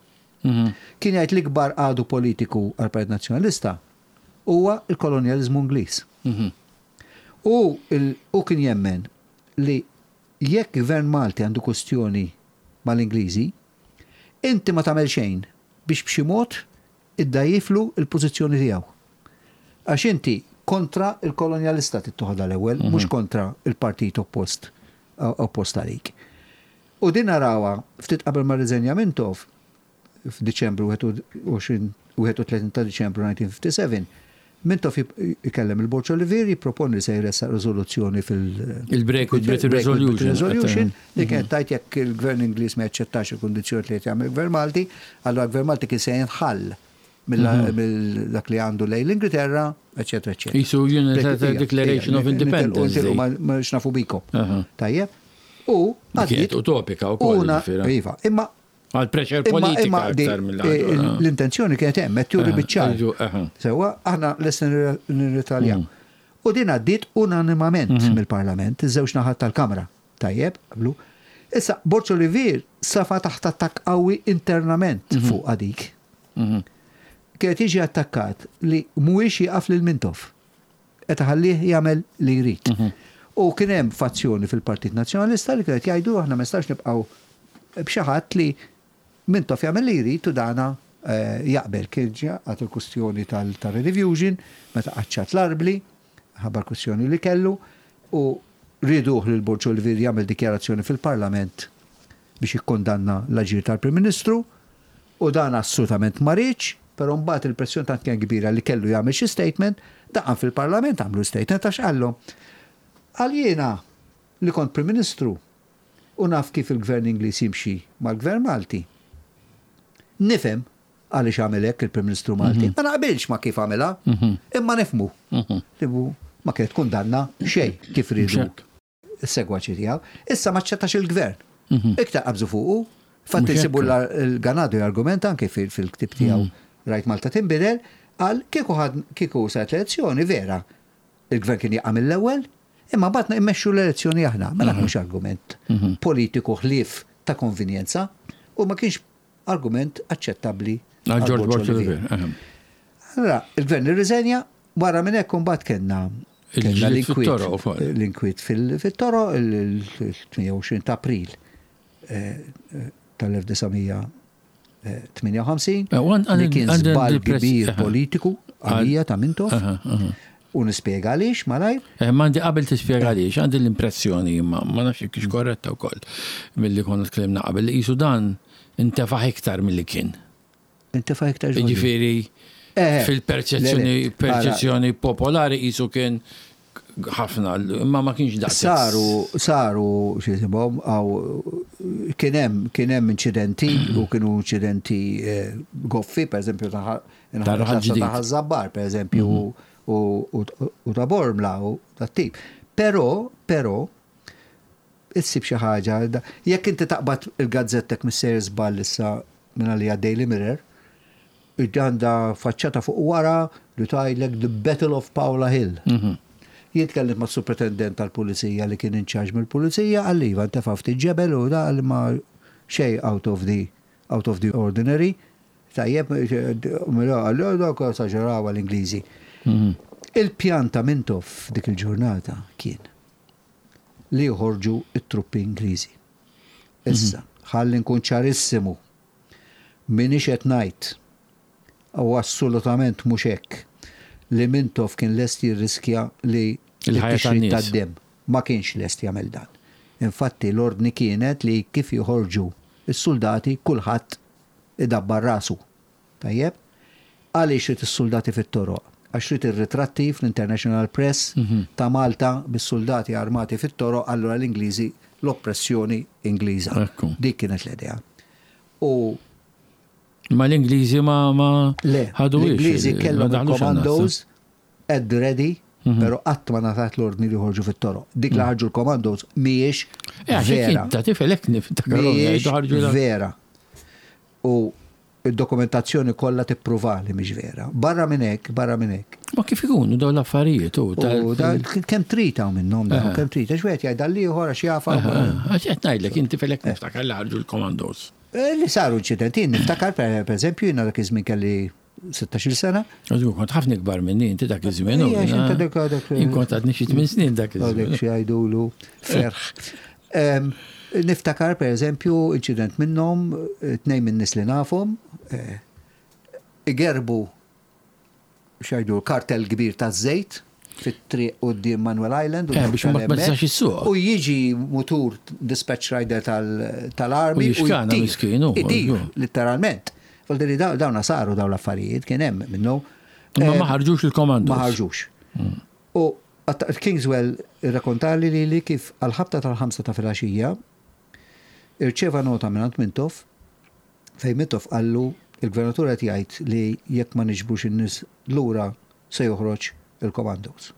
kien jgħid l-ikbar għadu politiku għal-Partit Nazzjonalista huwa il-kolonjalizmu Ingliż. U kien jemmen li jekk gvern Malti għandu kwestjoni mal-Ingliżi, inti ma tagħmel xejn biex b'xi mod iddgħajjiflu il-pożizzjoni tiegħu. Għax inti kontra il-kolonjalista tittoħodha l-ewwel, mhux kontra il-partit oppost għalik. U din narawha ftit qabel ma rriżenja Mintoff f'Diċembru 31 ta' Diċembru 1957, Mintoff ikellem il-Borg Olivier jipproponi li se jressaq riżoluzzjoni fil- Il-Break with Britain Break with Resolution. Resolution li kienet tgħid jekk il-gvern Ingliż ma jaċċettax il-kundizzjoni li qed jagħmel il-gvern Malti, allura l-gvern Malti kien se jinħall. mill dak li għandu lejn l-Ingilterra, eċetera, eċetera. Qisu Unilateral Declaration of Independence. Ma x'nafu bikom. Tajjeb. U għaddiet utopika wkoll. Iva, imma Għal pressure politika aktar mill L-intenzjoni kienet hemm, qed turi biċ-ċar. Sewwa, aħna lesti nirritaljaw. U din għaddiet unanimament mill-Parlament, iż-żewġ naħat tal-Kamra. Tajjeb, qablu. Issa, Borg Olivier safa taħt attakk qawwi internament fuqha dik. Kienet jiġi attakkat li mhuwiex jieqaf lil Mintoff. Qed iħallih jagħmel li jrid. U kien hemm fazzjoni fil-Partit Nazzjonalista li kienet jgħidu aħna ma nistgħux nibqgħu b'xi ħadd li Mintoff jagħmel li jrid u dana jaqbel. Kien ġa il-kwistjoni tal-rediffusion meta qaċċat l-arbli, ħabba l-kwistjoni li kellu, u rieduh lil Borg Olivier jagħmel dikjarazzjoni fil-Parlament biex jikkondanna l-aġir tal-Prim Ministru. U dan assolutament ma riedx, però mbagħad il-pressjoni tant kienet kbira li kellu jagħmel xi statement, daqan fil-Parlament għamlu statement għax qallhom, qal jiena li kont Prim Ministru u naf kif il-Gvern Ingliż jimxi mal-Gvern Malti. Nifhem għaliex għamel hekk il-Prim Ministru Malti. Ma naqbilx ma kif għamilha, imma nifhmu. Li ma kienet kundanna xejn kif riedu is-segwaċi tiegħu. Issa ma ċċettax il-gvern. Mhm. Iktar qabżu fuqu. Fatt insibu l-Ganado jargumenta anke fil-ktib tiegħu mhm. Rajt Malta tinbidel, qal kieku kieku saret l-elezzjoni vera. Il-gvern kien jaqa' mill-ewwel, imma mbagħad immexxu l-elezzjoni aħna. Mela mhm. mhux argument politiku ħlief ta' konvinjenza u ma kienx argument aċċettabbli għal George Borg Olivier. Allora, il-gvern irriżenja, wara minn hekk imbagħad kellna kellna l-inkwiet l-inkwiet fit-toroq il-28 ta' April tal-1958 li kien żball kbir politiku għalija ta' Mintoff. U nispjega għaliex malajr. Eh, ma għandi qabel tispjega għaliex, għandi l-impressjoni imma ma nafx jekk korretta wkoll milli konna tkellimna qabel li qisu dan intefaħ iktar milli kien. Intefaħ iktar. Jiġifieri eh, eh, fil-perċezzjoni perċezzjoni popolari qisu kien ħafna, imma ma kienx daqs. Saru, saru, xisibhom, għaw, kien hemm kien hemm inċidenti u kienu inċidenti eh, goffi, per eżempju, ta' Ħaż-Żabbar, per eżempju, mhm. u ta' Bormla u ta' tip. Però, però, issib xi ħaġa, jekk inti taqbad il-gazzettek mis-sejr żball issa minn għalija Daily Mirror, għandha faċċata fuq wara li tgħidlek The Battle of Paola Hill. Mhm. Jien tkellimt ma' superintendent tal-pulizija li kien in charge mill-pulizija, qalli iva ntefa' ftit ġebel u da ma xej out of the out of the ordinary. Tajjeb, mela, allura dawk esaġeraw l-Ingliżi. Mhm. Il-pjan ta' Mintoff dik il-ġurnata kien li joħorġu it-truppi Ingliżi. Issa, mhm. ħalli nkun ċarissimu, minix qed ngħid u assolutament mhux hekk li Mintoff kien lest jirriskja li il-ħajja tad-dem. Ma kienx lest jagħmel dan. Infatti l-ordni kienet li kif joħorġu s-suldati kulħadd idabbar rasu. Tajjeb? Għaliex ried is-suldati fit-toroq? Għax ried ir-ritratti fl-International Press ta' Malta bis-suldati armati fit-toroq allura l-Ingliżi l-oppressjoni Ingliża. Dik kienet l-idea. U Ma l-Ingliżi ma ma Le, l-Ingliżi kellhom il-commandos at the ready, mhm. però qatt ma ngħatat l-ordni li joħorġu fit-toroq. Dik li mhm. ħarġu l-commandos mhijiex eh, vera. Ta' tifel hekk niftakar. Vera. U id-dokumentazzjoni kollha tippruva li mhix vera. Barra minn hekk, barra minn hekk. Ma kif ikunu dawn l-affarijiet u kemm trid hawn minnhom dawn, kemm trid, għax wieħed jgħid għall-ieħor għax jafa. Għax qed ngħidlek inti felek niftakar li ħarġu l-commandos. Eh, li saru inċidenti, niftakar per eżempju jiena dak iż-żmien kelli 16-il sena. Għażgur, kont ħafna ikbar minni inti dak iż-żmien. Jien kont għadni xi tmien snin dak iż-żmien. Dak xi jgħidulu ferħ. Niftakar per eżempju inċident minnhom, tnejn minn nies li nafhom, eh, igerbu xajdu kartel kbir ta' żejt fit-triq quddiem Manuel Island. Eh, biex ma tistax issuq. U jiġi mutur dispatch rider tal-army. U jixkana miskinu. Idir, literalment. Voldiri dawna saru dawn l-affarijiet, kien hemm minnu. Ma ma ħarġux il-komando. Ma ħarġux. Mm. U Kingswell irrakontali li li kif għal-ħabta tal-ħamsa ta' filgħaxija irċeva nota minn Mintoff fejn Mintoff qallu Il-gvernatur qed jgħid li jekk ma niġbrux in-nies lura se joħroġ il-commandos.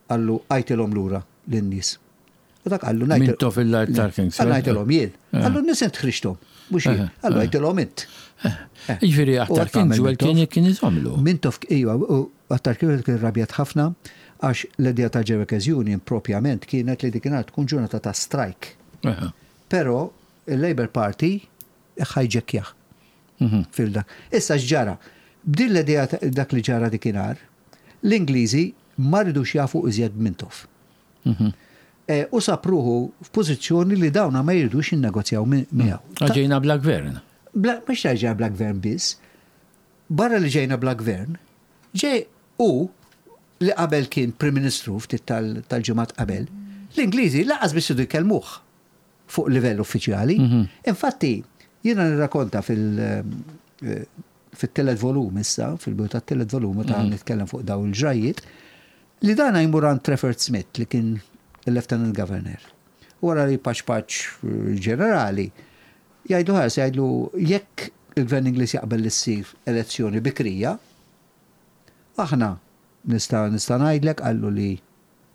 Qallu għajtilhom lura lin-nies. U dak qallu ngħid. Mintoff il-Lord Tarkington. Qallu ngħidilhom jien. Qallu n-nies int ħriġthom, mhux jien. Qallu għidilhom int. Jiġifieri Attar Kingswell kien kien iżommlu. Mintoff iva, u Attar Kingswell kien irrabjat ħafna għax l-idea tal-Ġerwekers Union propjament kienet li dikinhar tkun ġurnata ta' strajk. Però il-Labour Party ħajġekkjah. Fil-dak. Issa x'ġara? B'din l-idea dak li ġara dikinhar, l-Ingliżi ma ridux jafu iżjed b'Mintoff. U sab ruħu f'pożizzjoni li dawna ma jridux jinnegozjaw miegħu. Ġejna bla gvern. Mhux ta' ġejna bla gvern biss. Barra li ġejna bla gvern, ġej u li qabel kien Prim Ministru ftit tal-ġimgħat qabel, l-Ingliżi lanqas biss iridu jkellmuh fuq livell uffiċjali. Infatti, jiena nirrakonta fil- fit-tielet volum issa, fil-bidu tat-tielet volum meta nitkellem fuq dawn il-ġrajjiet, li dana jmur għand Trafford Smith li kien il-Lieutenant Governor. Wara li paċ paċ ġenerali, jgħidlu ħares, jgħidlu jekk il-Gvern Ingliż jaqbel li ssir elezzjoni bikrija, aħna nista' nista' ngħidlek qallu li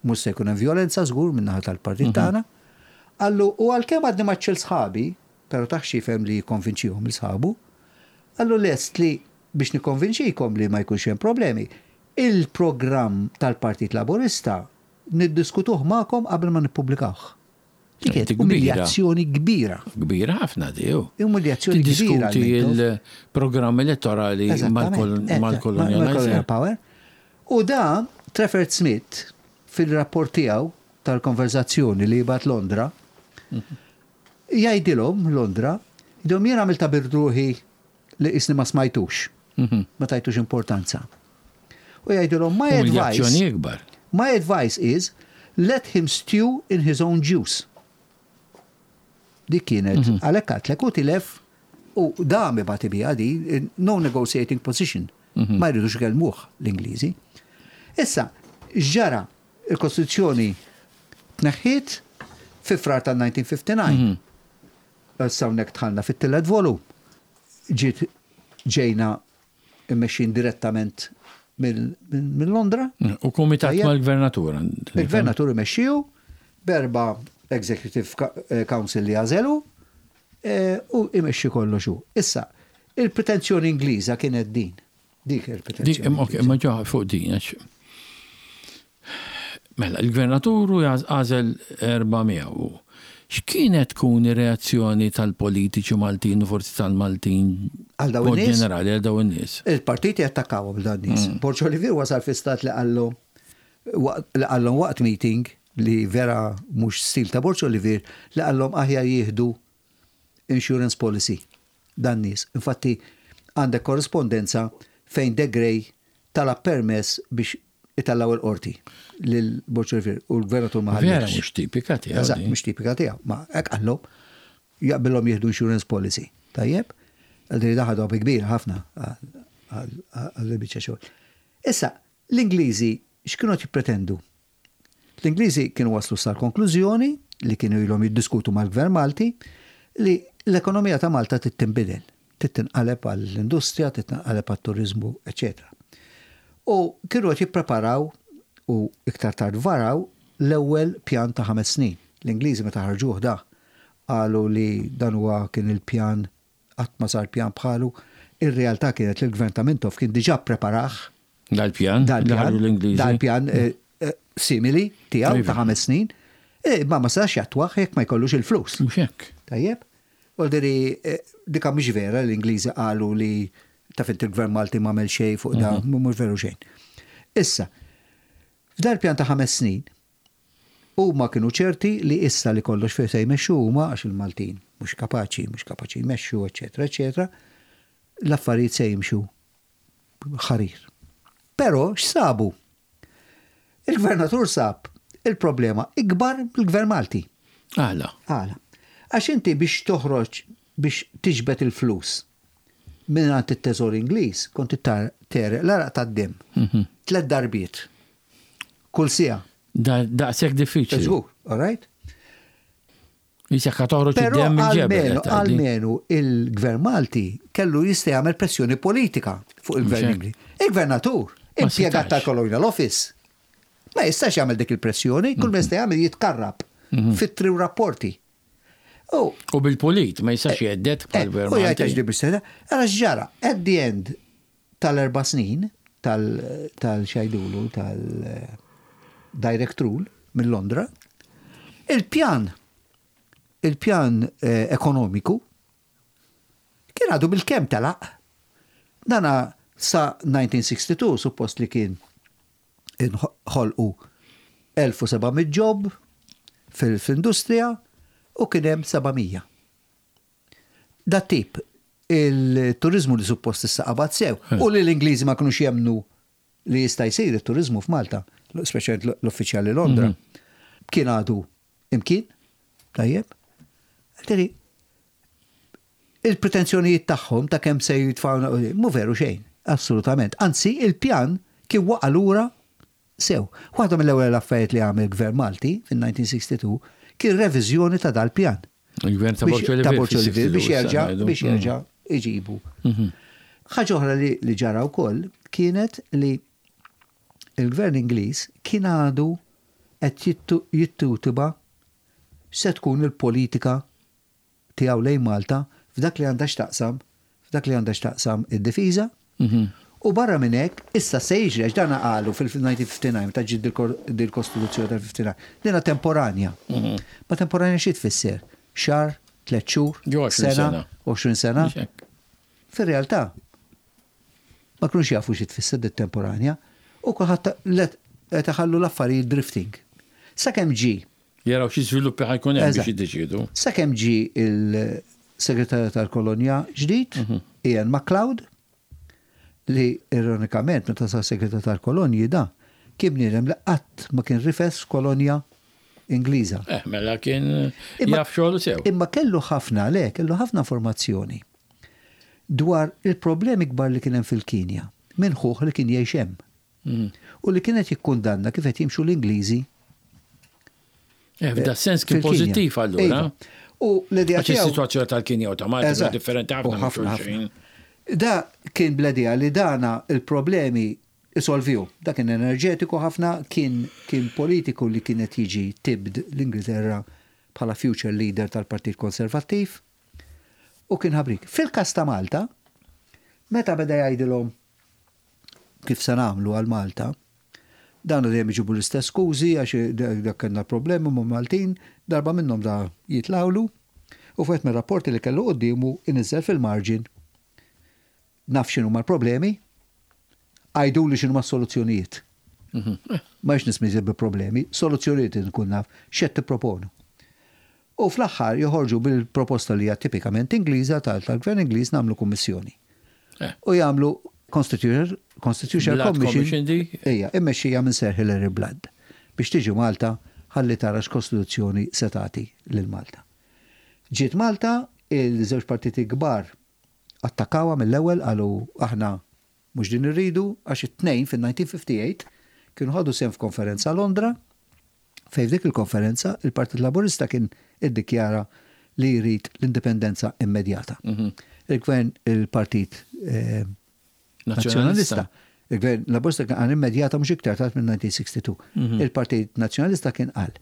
mhux se jkun hemm vjolenza żgur min-naħa tal-partit tagħna. Qallu u għalkemm għadni ma sħabi, Però tah x'jifhem li jikkonvinċihom 'il sħabu. Qallu lest li biex nikkonvinċikom li ma jkunx hemm problemi, il-programm tal-Partit Laburista niddiskutuh magħkom qabel ma nippubblikawh. Li kienet umiljazzjoni kbira. Kbira ħafna di, hu. Umiljazzjoni kbira. Tiddiskuti l-programm elettorali mal-Colonial Power. U da, Trafford Smith, fil-rapport tiegħu tal-konverzazzjoni li jibgħat Londra, Jgħidilhom Londra, jgħidilhom jien għamiltha bir-ruħi li qisni ma smajtux, ma tajtux importanza. U jgħidilhom my advice. Umiljazzjoni ikbar. My advice is let him stew in his own juice. Dik kienet, għalhekk għadtlek u tilef u dam ibati biha di, no negotiating position. Ma jridux ikellmuh l-Ingliżi. Issa, x'ġara? Il-Kostituzzjoni tneħħiet fi Frar tan-1959. Issa hawnhekk dħalna fit-tielet volum. Ġiet ġejna mmexxin direttament minn Londra. U kumitat mal-gvernatur. Il-gvernatur imexxiju b'erba' Executive Council li għażelu u imexxi kollox hu. Issa, il-pretenzjoni Ingliża kienet din. Dik il-pretenzjoni. Ok, ma ġo fuq din, għax. Mela, il-gvernatur u għażel 400. X'kienet tkun ir-reazzjoni tal-politiċi Maltin u forsi tal-Maltin għal dawn in-nies? Ġenerali għal dawn in-nies. Il-partiti attakkawhom dawn nies. Mm. Borġ Olivier wasal fi stat li qallu li qallhom waqt meeting li vera mhux stil ta' Borġ Olivier li qallhom aħjar jieħdu insurance policy dan nies. Infatti għandek korrispondenza fejn De Grey talab permess biex itellgħu il-qorti lil Borg Olivier u l-gvernatur ma ħallihx. Vera mhux tipika tiegħu. Eżatt, mhux tipika tiegħu. Ma hekk qallu jaqbilhom jieħdu insurance policy. Tajjeb? Għal daħadu bi kbira ħafna għal biċċa xogħol. Issa, l-Ingliżi x'kienu qed jippretendu? L-Ingliżi kienu waslu sal-konklużjoni li kienu ilhom jiddiskutu mal-Gvern Malti li l-ekonomija ta' Malta trid tinbidel, trid tinqaleb għall-industrija, trid tinqaleb għat-turiżmu, eċċetera. U kienu qed jippreparaw u iktar tard varaw l-ewwel pjan ta' ħames snin. L-Ingliżi meta ħarġuh da qalu li dan huwa kien il-pjan Qatt ma sar pjan bħalu. Ir-realtà kienet li l-Gvern ta' Mintoff kien diġà ppreparah. Dal-pjan? Dal-pjan. Dal-pjan eh, eh, simili tiegħu ta' iva. ħames snin. Eh, ma ma setax jattwah jekk ma jkollux il-flus. Mhux hekk. Tajjeb. Voldiri, dika mhix vera l-Ingliżi qalu li taf inti l-Gvern Malti ma għamel xejn fuq da, mhm. mhux veru xejn. Issa, f'dal pjan ta' ħames snin, Huma kienu ċerti li issa li kollox fih se jmexxu huma għax il-Maltin mhux kapaċi, mhux kapaċi jmexxu, eċċetera, eċċetera, l-affarijiet se jimxu ħarir. Però x'sabu? Il-gvernatur sab il-problema ikbar mill-gvern Malti. Għala? Għala. Għax inti biex toħroġ biex tiġbed il-flus minn għand it-teżor Ingliż kont tegħreq l-għaraq tad-demm mhm. tliet darbiet. Kull siegħa. Daqshekk diffiċli. Żgur, all right? Jisek toħroġ id-demm mill-ġebel. Almenu il-gvern Malti kellu jista' jagħmel pressjoni politika fuq il-gvern Ingliż. Il-gvernatur, impjegat tal-Colonial Office, ma jistax jagħmel dik il-pressjoni, kull ma jista' jagħmel jitkarrab mhm. fit-tri rapporti. U bil-pulit, ma jistax eh, jeddet bħal eh, gvern. U jgħid għax bil Għara x'ġara, at the end tal-erba' snin tal-xajdulu tal-direct rule minn Londra, il-pjan il-pjan eh, ekonomiku kien għadu bil-kem telaq. Dana sa 1962 suppost li kien inħolqu 1700 job fil-industrija u kien hemm 700. Dat tip, il-turiżmu li suppost issa qabad sew u li l-Ingliżi ma kinux jemmnu li jista' jsir it-turiżmu f'Malta, speċjalment l-uffiċjali Londra, mhm. kien għadu imkien, tajjeb. Għalteri, il-pretenzjonijiet tagħhom ta' kemm se jitfgħu mhu veru xejn, assolutament. Anzi, il-pjan kien waqa' lura sew. Waħda mill-ewwel affarijiet li għamel gvern Malti fin-1962 kien reviżjoni ta' dal-pjan. Il-gvern ta' Borg Olivier. Ta' Borg Olivier biex jerġa' biex mm. jerġa' iġibu. Mhm. Ħaġa oħra li ġara wkoll kienet li il-gvern Ingliż kien għadu qed jittutuba se tkun il-politika tiegħu lejn Malta f'dak li għandha x'taqsam f'dak li għandha x'taqsam id-difiża. U barra minn hekk, issa se jiġri għax dana qalu fil-1959 meta ġiet dil-Kostituzzjoni tal-59, dina temporanja. Ma temporanja xi tfisser? Xahar, tlett xhur, sena, 20 sena. Fir-realtà, ma kinux jafu xi tfisser dit temporanja u kulħadd qed iħallu l-affarijiet drifting. Sakemm ġie Jaraw xi żviluppi ħa jkun hemm biex jiddeċiedu. Sakemm ġie il-Segretarju tal-Kolonja ġdid, mhm. Ian MacLeod, li ironikament meta sar Segretarju tal-Kolonji da kien bniedem li qatt ma kien rifes kolonja Ingliża. Eh, mela kien jaf xogħol sew. Imma kellu ħafna, le, kellu ħafna informazzjoni dwar il-problemi kbar li kien hemm fil-Kinja minn ħuh li kien jgħix hemm. U li kien qed jikkundanna kif qed jimxu l-Ingliżi. Eh, f'da sens kien pożittiv allura. Iva. U l-idea tiegħu. Is-sitwazzjoni tal-Kinja u ta' Malta differenti ħafna. Da kien bl-idea li dana il-problemi isolviju. Da kien enerġetiku ħafna, kien kien politiku li kien qed jiġi tibd l-Ingilterra bħala future leader tal-Partit Konservattiv u kien ħabrik. Fil-każ ta' Malta, meta beda jgħidilhom kif se nagħmlu għal Malta, dawn dejjem iġibu l-istess skużi għax dak kellna problemi ma' Maltin, darba minnhom da jitlgħulu u f'wieħed mir-rapporti li kellu quddiemu iniżżel fil-marġin naf x'inhuma l-problemi, għiduli x'inhuma s-soluzzjonijiet. Mhm. Ma jiex nismiżi bi problemi, soluzzjonijiet nkun naf x'qed tipproponu. U fl-aħħar joħorġu bil-proposta li hija tipikament Ingliża tal-Gvern Ingliż nagħmlu kummissjoni. U jagħmlu Constitutional Commission ejja, immexxija minn Sir Hilary Blood biex tiġi Malta ħalli tara x'kostituzzjoni se tagħti lil Malta. Ġiet Malta, il-żewġ partiti kbar attakawha mill-ewwel qalu aħna mhux din irridu għax it-tnejn fin-1958 kienu ħadu sehem f'konferenza Londra fejn f'dik il-konferenza il-Partit Laburista kien iddikjara li jrid l-indipendenza immedjata. Mhm. Il-gvern il-Partit eh, Nazzjonalista. Il-gvern Laburista kien qal immedjata mhux iktar tard minn 1962. Mhm. Il-Partit Nazzjonalista kien qal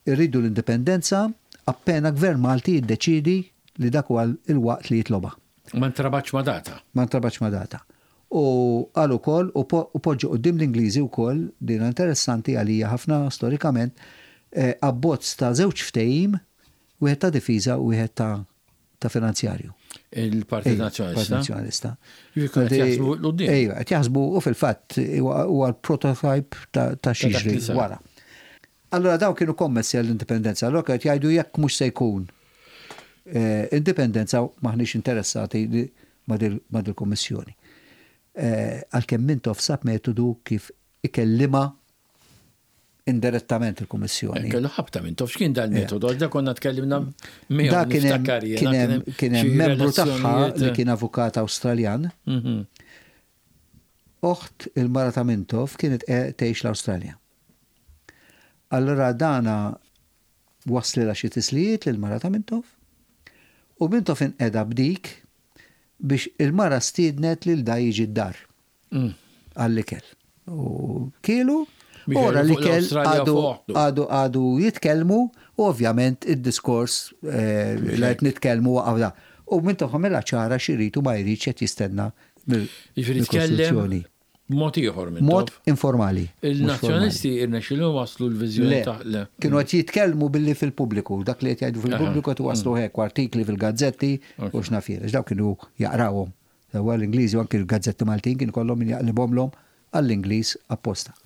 irridu l-indipendenza appena gvern Malti jiddeċidi li dak huwa il-waqt li jitloba. Ma ntrabatx ma data. Ma ntrabatx ma data. U qal ukoll, u poġġa quddiem l-Ingliżi wkoll, din interessanti għalija ħafna storikament, abbozz ta' żewġ ftehim, wieħed ta' difiża u wieħed ta' ta' finanzjarju. Il-Partit Nazzjonalista. Partit Nazzjonalista. Qed jaħsbu 'l quddiem. Ejja, qed jaħsbu u fil-fatt huwa l-prototype ta' x'jiġri wara. Allura dawn kienu kommessi għall-indipendenza. Allura kienu qed jgħidu jekk mhux se jkun indipendenza m'aħniex interessati ma' dil-kummissjoni. Għalkemm Mintoff sab metodu kif ikellimha indirettament il-kummissjoni. Kellu ħabta Mintoff, x'kien dal-metodu? Għax da konna tkellimna miegħu. Da kien hemm membru tagħha li kien avukat Awstraljan. Oħt il-mara ta' Mintoff kienet tgħix l-Awstralja. Allura dana. Waslilha xi tislijiet lill-mara ta' Mintoff u Mintoff inqeda b'dik biex il-mara stiednet lil da jiġi d-dar għall-ikel. U kielu, u wara l-ikel għadu għadu għadu jitkellmu u ovvjament id-diskors li qed nitkellmu waqaf da. U Mintoff għamilha ċara x'irid u ma jridx qed jistenna mill-Kostituzzjoni. Mod ieħor minn Mod informali. Il-Nazzjonalisti irnexxilhom waslu l-viżjoni ta' le. Kienu qed jitkellmu billi fil-pubbliku, dak li qed jgħidu fil-pubbliku qed iwasslu hekk artikli fil-gazzetti u x'naf jien, għax dawk kienu jaqrawhom. Sewwa l-Ingliżi u anki l-gazzetti Maltin kien ikollhom min jaqlibhomlhom għall-Ingliż apposta.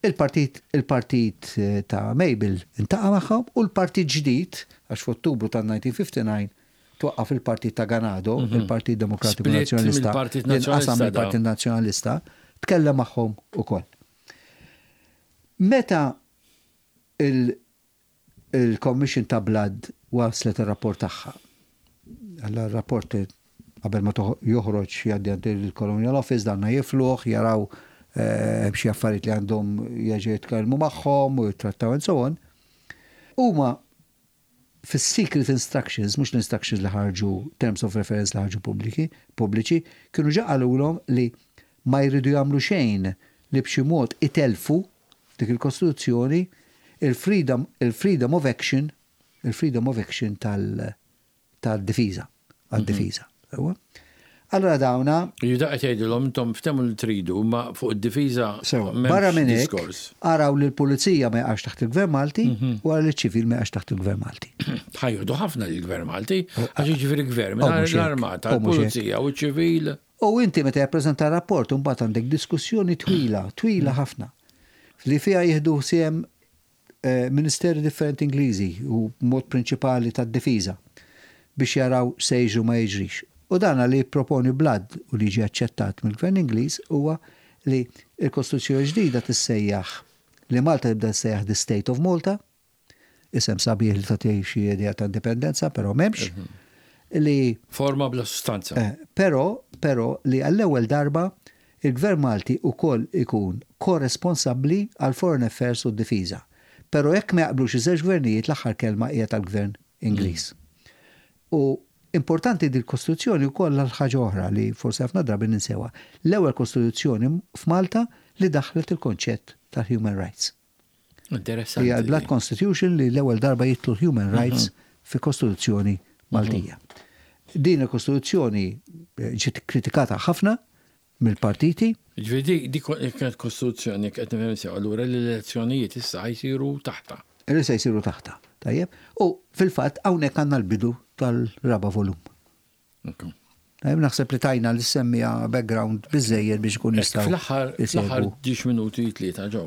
Il-partit il-partit ta' Mabel intaqa' magħhom u l-partit ġdid, għax f'Ottubru tan-1959 twaqqaf il-partit ta' Ganado, il-Partit Demokratiku Nazzjonalista, li nqasam mill-Partit Nazzjonalista, tkellem magħhom ukoll. Meta il-Commission ta' Blood waslet ir-rapport tagħha, allura r-rapport qabel ma joħroġ jgħaddi għand il-Colonial Office, danna jifluh, jaraw hemm xi affarijiet li għandhom jerġgħu jitkellmu magħhom u jittrattaw and so on. Huma fis-secret instructions, mhux l-instructions li ħarġu, terms of reference li ħarġu pubbliki, pubbliċi, kienu ġa qalulhom li ma jridu jagħmlu xejn li b'xi mod itellfu f'dik il-Kostituzzjoni il-freedom, il-freedom of action, il-freedom of action tal, tad-difiża, għad-difiża. Sewwa? Allura dawna. Jiġifieri dak qed jgħidilhom intom ftehmu li tridu, imma fuq id-difiża Sewwa. Barra minn hekk, araw li l-pulizija ma jaqax taħt il-Gvern Malti u ara li ċ-ċivil ma jaqax taħt il-Gvern Malti. Ħa jieħdu ħafna lill-Gvern Malti, għax jiġifieri gvern mingħajr l-armata, l-pulizija u ċ-ċivil. U inti meta jappreżenta rapport imbagħad għandek diskussjoni twila, twila ħafna, li fiha jieħdu sehem ministeri differenti Ingliżi u b'mod prinċipali tad-difiża biex jaraw x'se jiġri u ma jiġrix. U dan li jipproponi Blood u li jiġi aċċettat mill-Gvern Ingliż huwa li l-Kostituzzjoni ġdida tissejjaħ li Malta tibda tissejjaħ the State of Malta, isem sabiħ li tagħti xi idea ta' indipendenza, però m'hemmx, li Forma bla sustanza. Però, però li għall-ewwel darba Il-Gvern Malti ukoll ikun ko-responsabbli għall-Foreign Affairs u d-Difiża. Però jekk ma jaqblux iż-żewġ gvernijiet l-aħħar kelma hija tal-Gvern Ingliż. U importanti dil-Kostituzzjoni wkoll għal ħaġa oħra li forsi ħafna drabi ninsewha. L-ewwel Kostituzzjoni f'Malta li daħħlet il-konċett tal-human rights. Interessanti. Hija l-Blood Constitution li l-ewwel darba jidħlu human rights fi Kostituzzjoni Maltija. Din il-Kostituzzjoni ġiet kritikata ħafna mill-partiti. Ġifieri dik kienet Kostituzzjoni qed nifhem sew, allura l-elezzjonijiet issa jsiru taħtha. Li se jsiru taħtha, tajjeb. U fil-fatt hawnhekk għandna l-bidu tal-raba' volum. Naħseb li tajna li semmija background biżejjed biex ikun jistgħu. Fl-aħħar fl-aħħar 10 minuti tlieta ġew.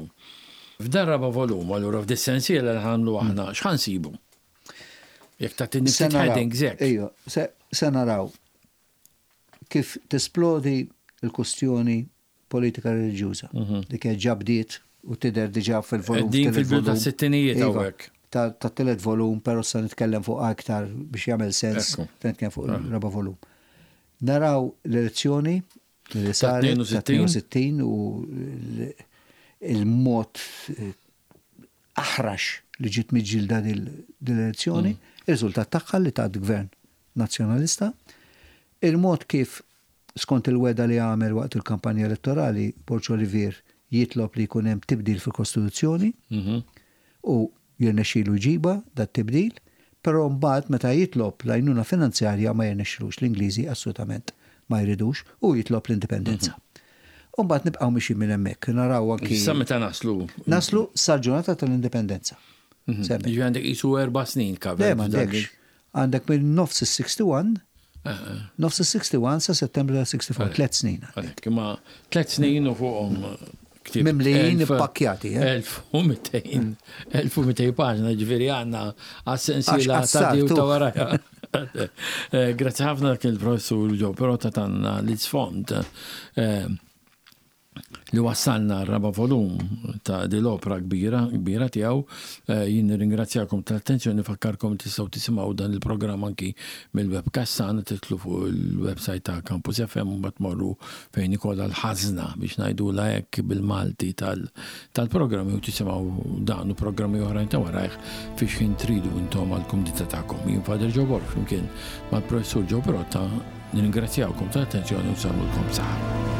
F'dan raba' volum, allura f'dis-sensiela li ħanlu aħna x'ħa nsibu? Jekk tagħtini ftit headings hekk. Ejja, se naraw kif tisplodi l-kustjoni politika reliġjuża li kienet ġa bdiet u tidher diġà fil-volum. Din fil-bidu tas-sittinijiet iva, hawnhekk. Tat-tielet volum, però sa nitkellem fuq aktar biex jagħmel sens, nitkellem fuq il-raba' volum. Naraw l-elezzjoni li saret ta' 62 u il-mod eh, aħrax li ġiet miġġielda din l-elezzjoni, mm. ir-riżultat tagħha li tat gvern Nazzjonalista, il-mod kif Skont il-wegħda li għamel waqt il-kampanja elettorali, Borg Olivier jitlob li jkun hemm tibdil fil-Kostituzzjoni u jirnexxilu jġibha dat-tibdil, però mbagħad meta jitlob l-għajnuna finanzjarja ma jirnexxilux, l-Ingliżi assolutament ma jridux u jitlob l-indipendenza. U mbagħad nibqgħu mixjin minn hemmhekk, naraw anki. Sa meta naslu? Naslu sal-ġurnata tal-indipendenza. Jiġifieri għandek qisu erba' snin covered. Le m'għandekx. Għandek minn nofs is-61, nofs is-61 sa Settembru tal-64, tlet snin. Għalhekk, imma tlet snin u fuqhom ktieb. Mimlijin ippakkjati. 1200, 1200 paġna, ġifieri għandna għas-sensiela ta' di u ta' warajha. Grazzi ħafna dak il-professur Joe, però ta' tanna l-isfond. li wassalna r-raba' volum ta' din l-opra kbira, kbira tiegħu. Jien nirringrazzjakom tal-attenzjoni, nfakkarkom li tistgħu tisimgħu dan il-programm anki mill-webcast tagħna, tidħlu fuq il-website ta' Campus FM u mbagħad tmorru fejn ikollha l-ħażna biex ngħidulha hekk bil-Malti tal-programmi u tisimgħu dan u programmi oħrajn ta' warajh fi x'ħin tridu intom għall-kumdità tagħkom. Jien Father Joe Borg flimkien mal-Professur Joe Pirotta nirringrazzjawkom tal-attenzjoni u nsellmulkom b'saħħa.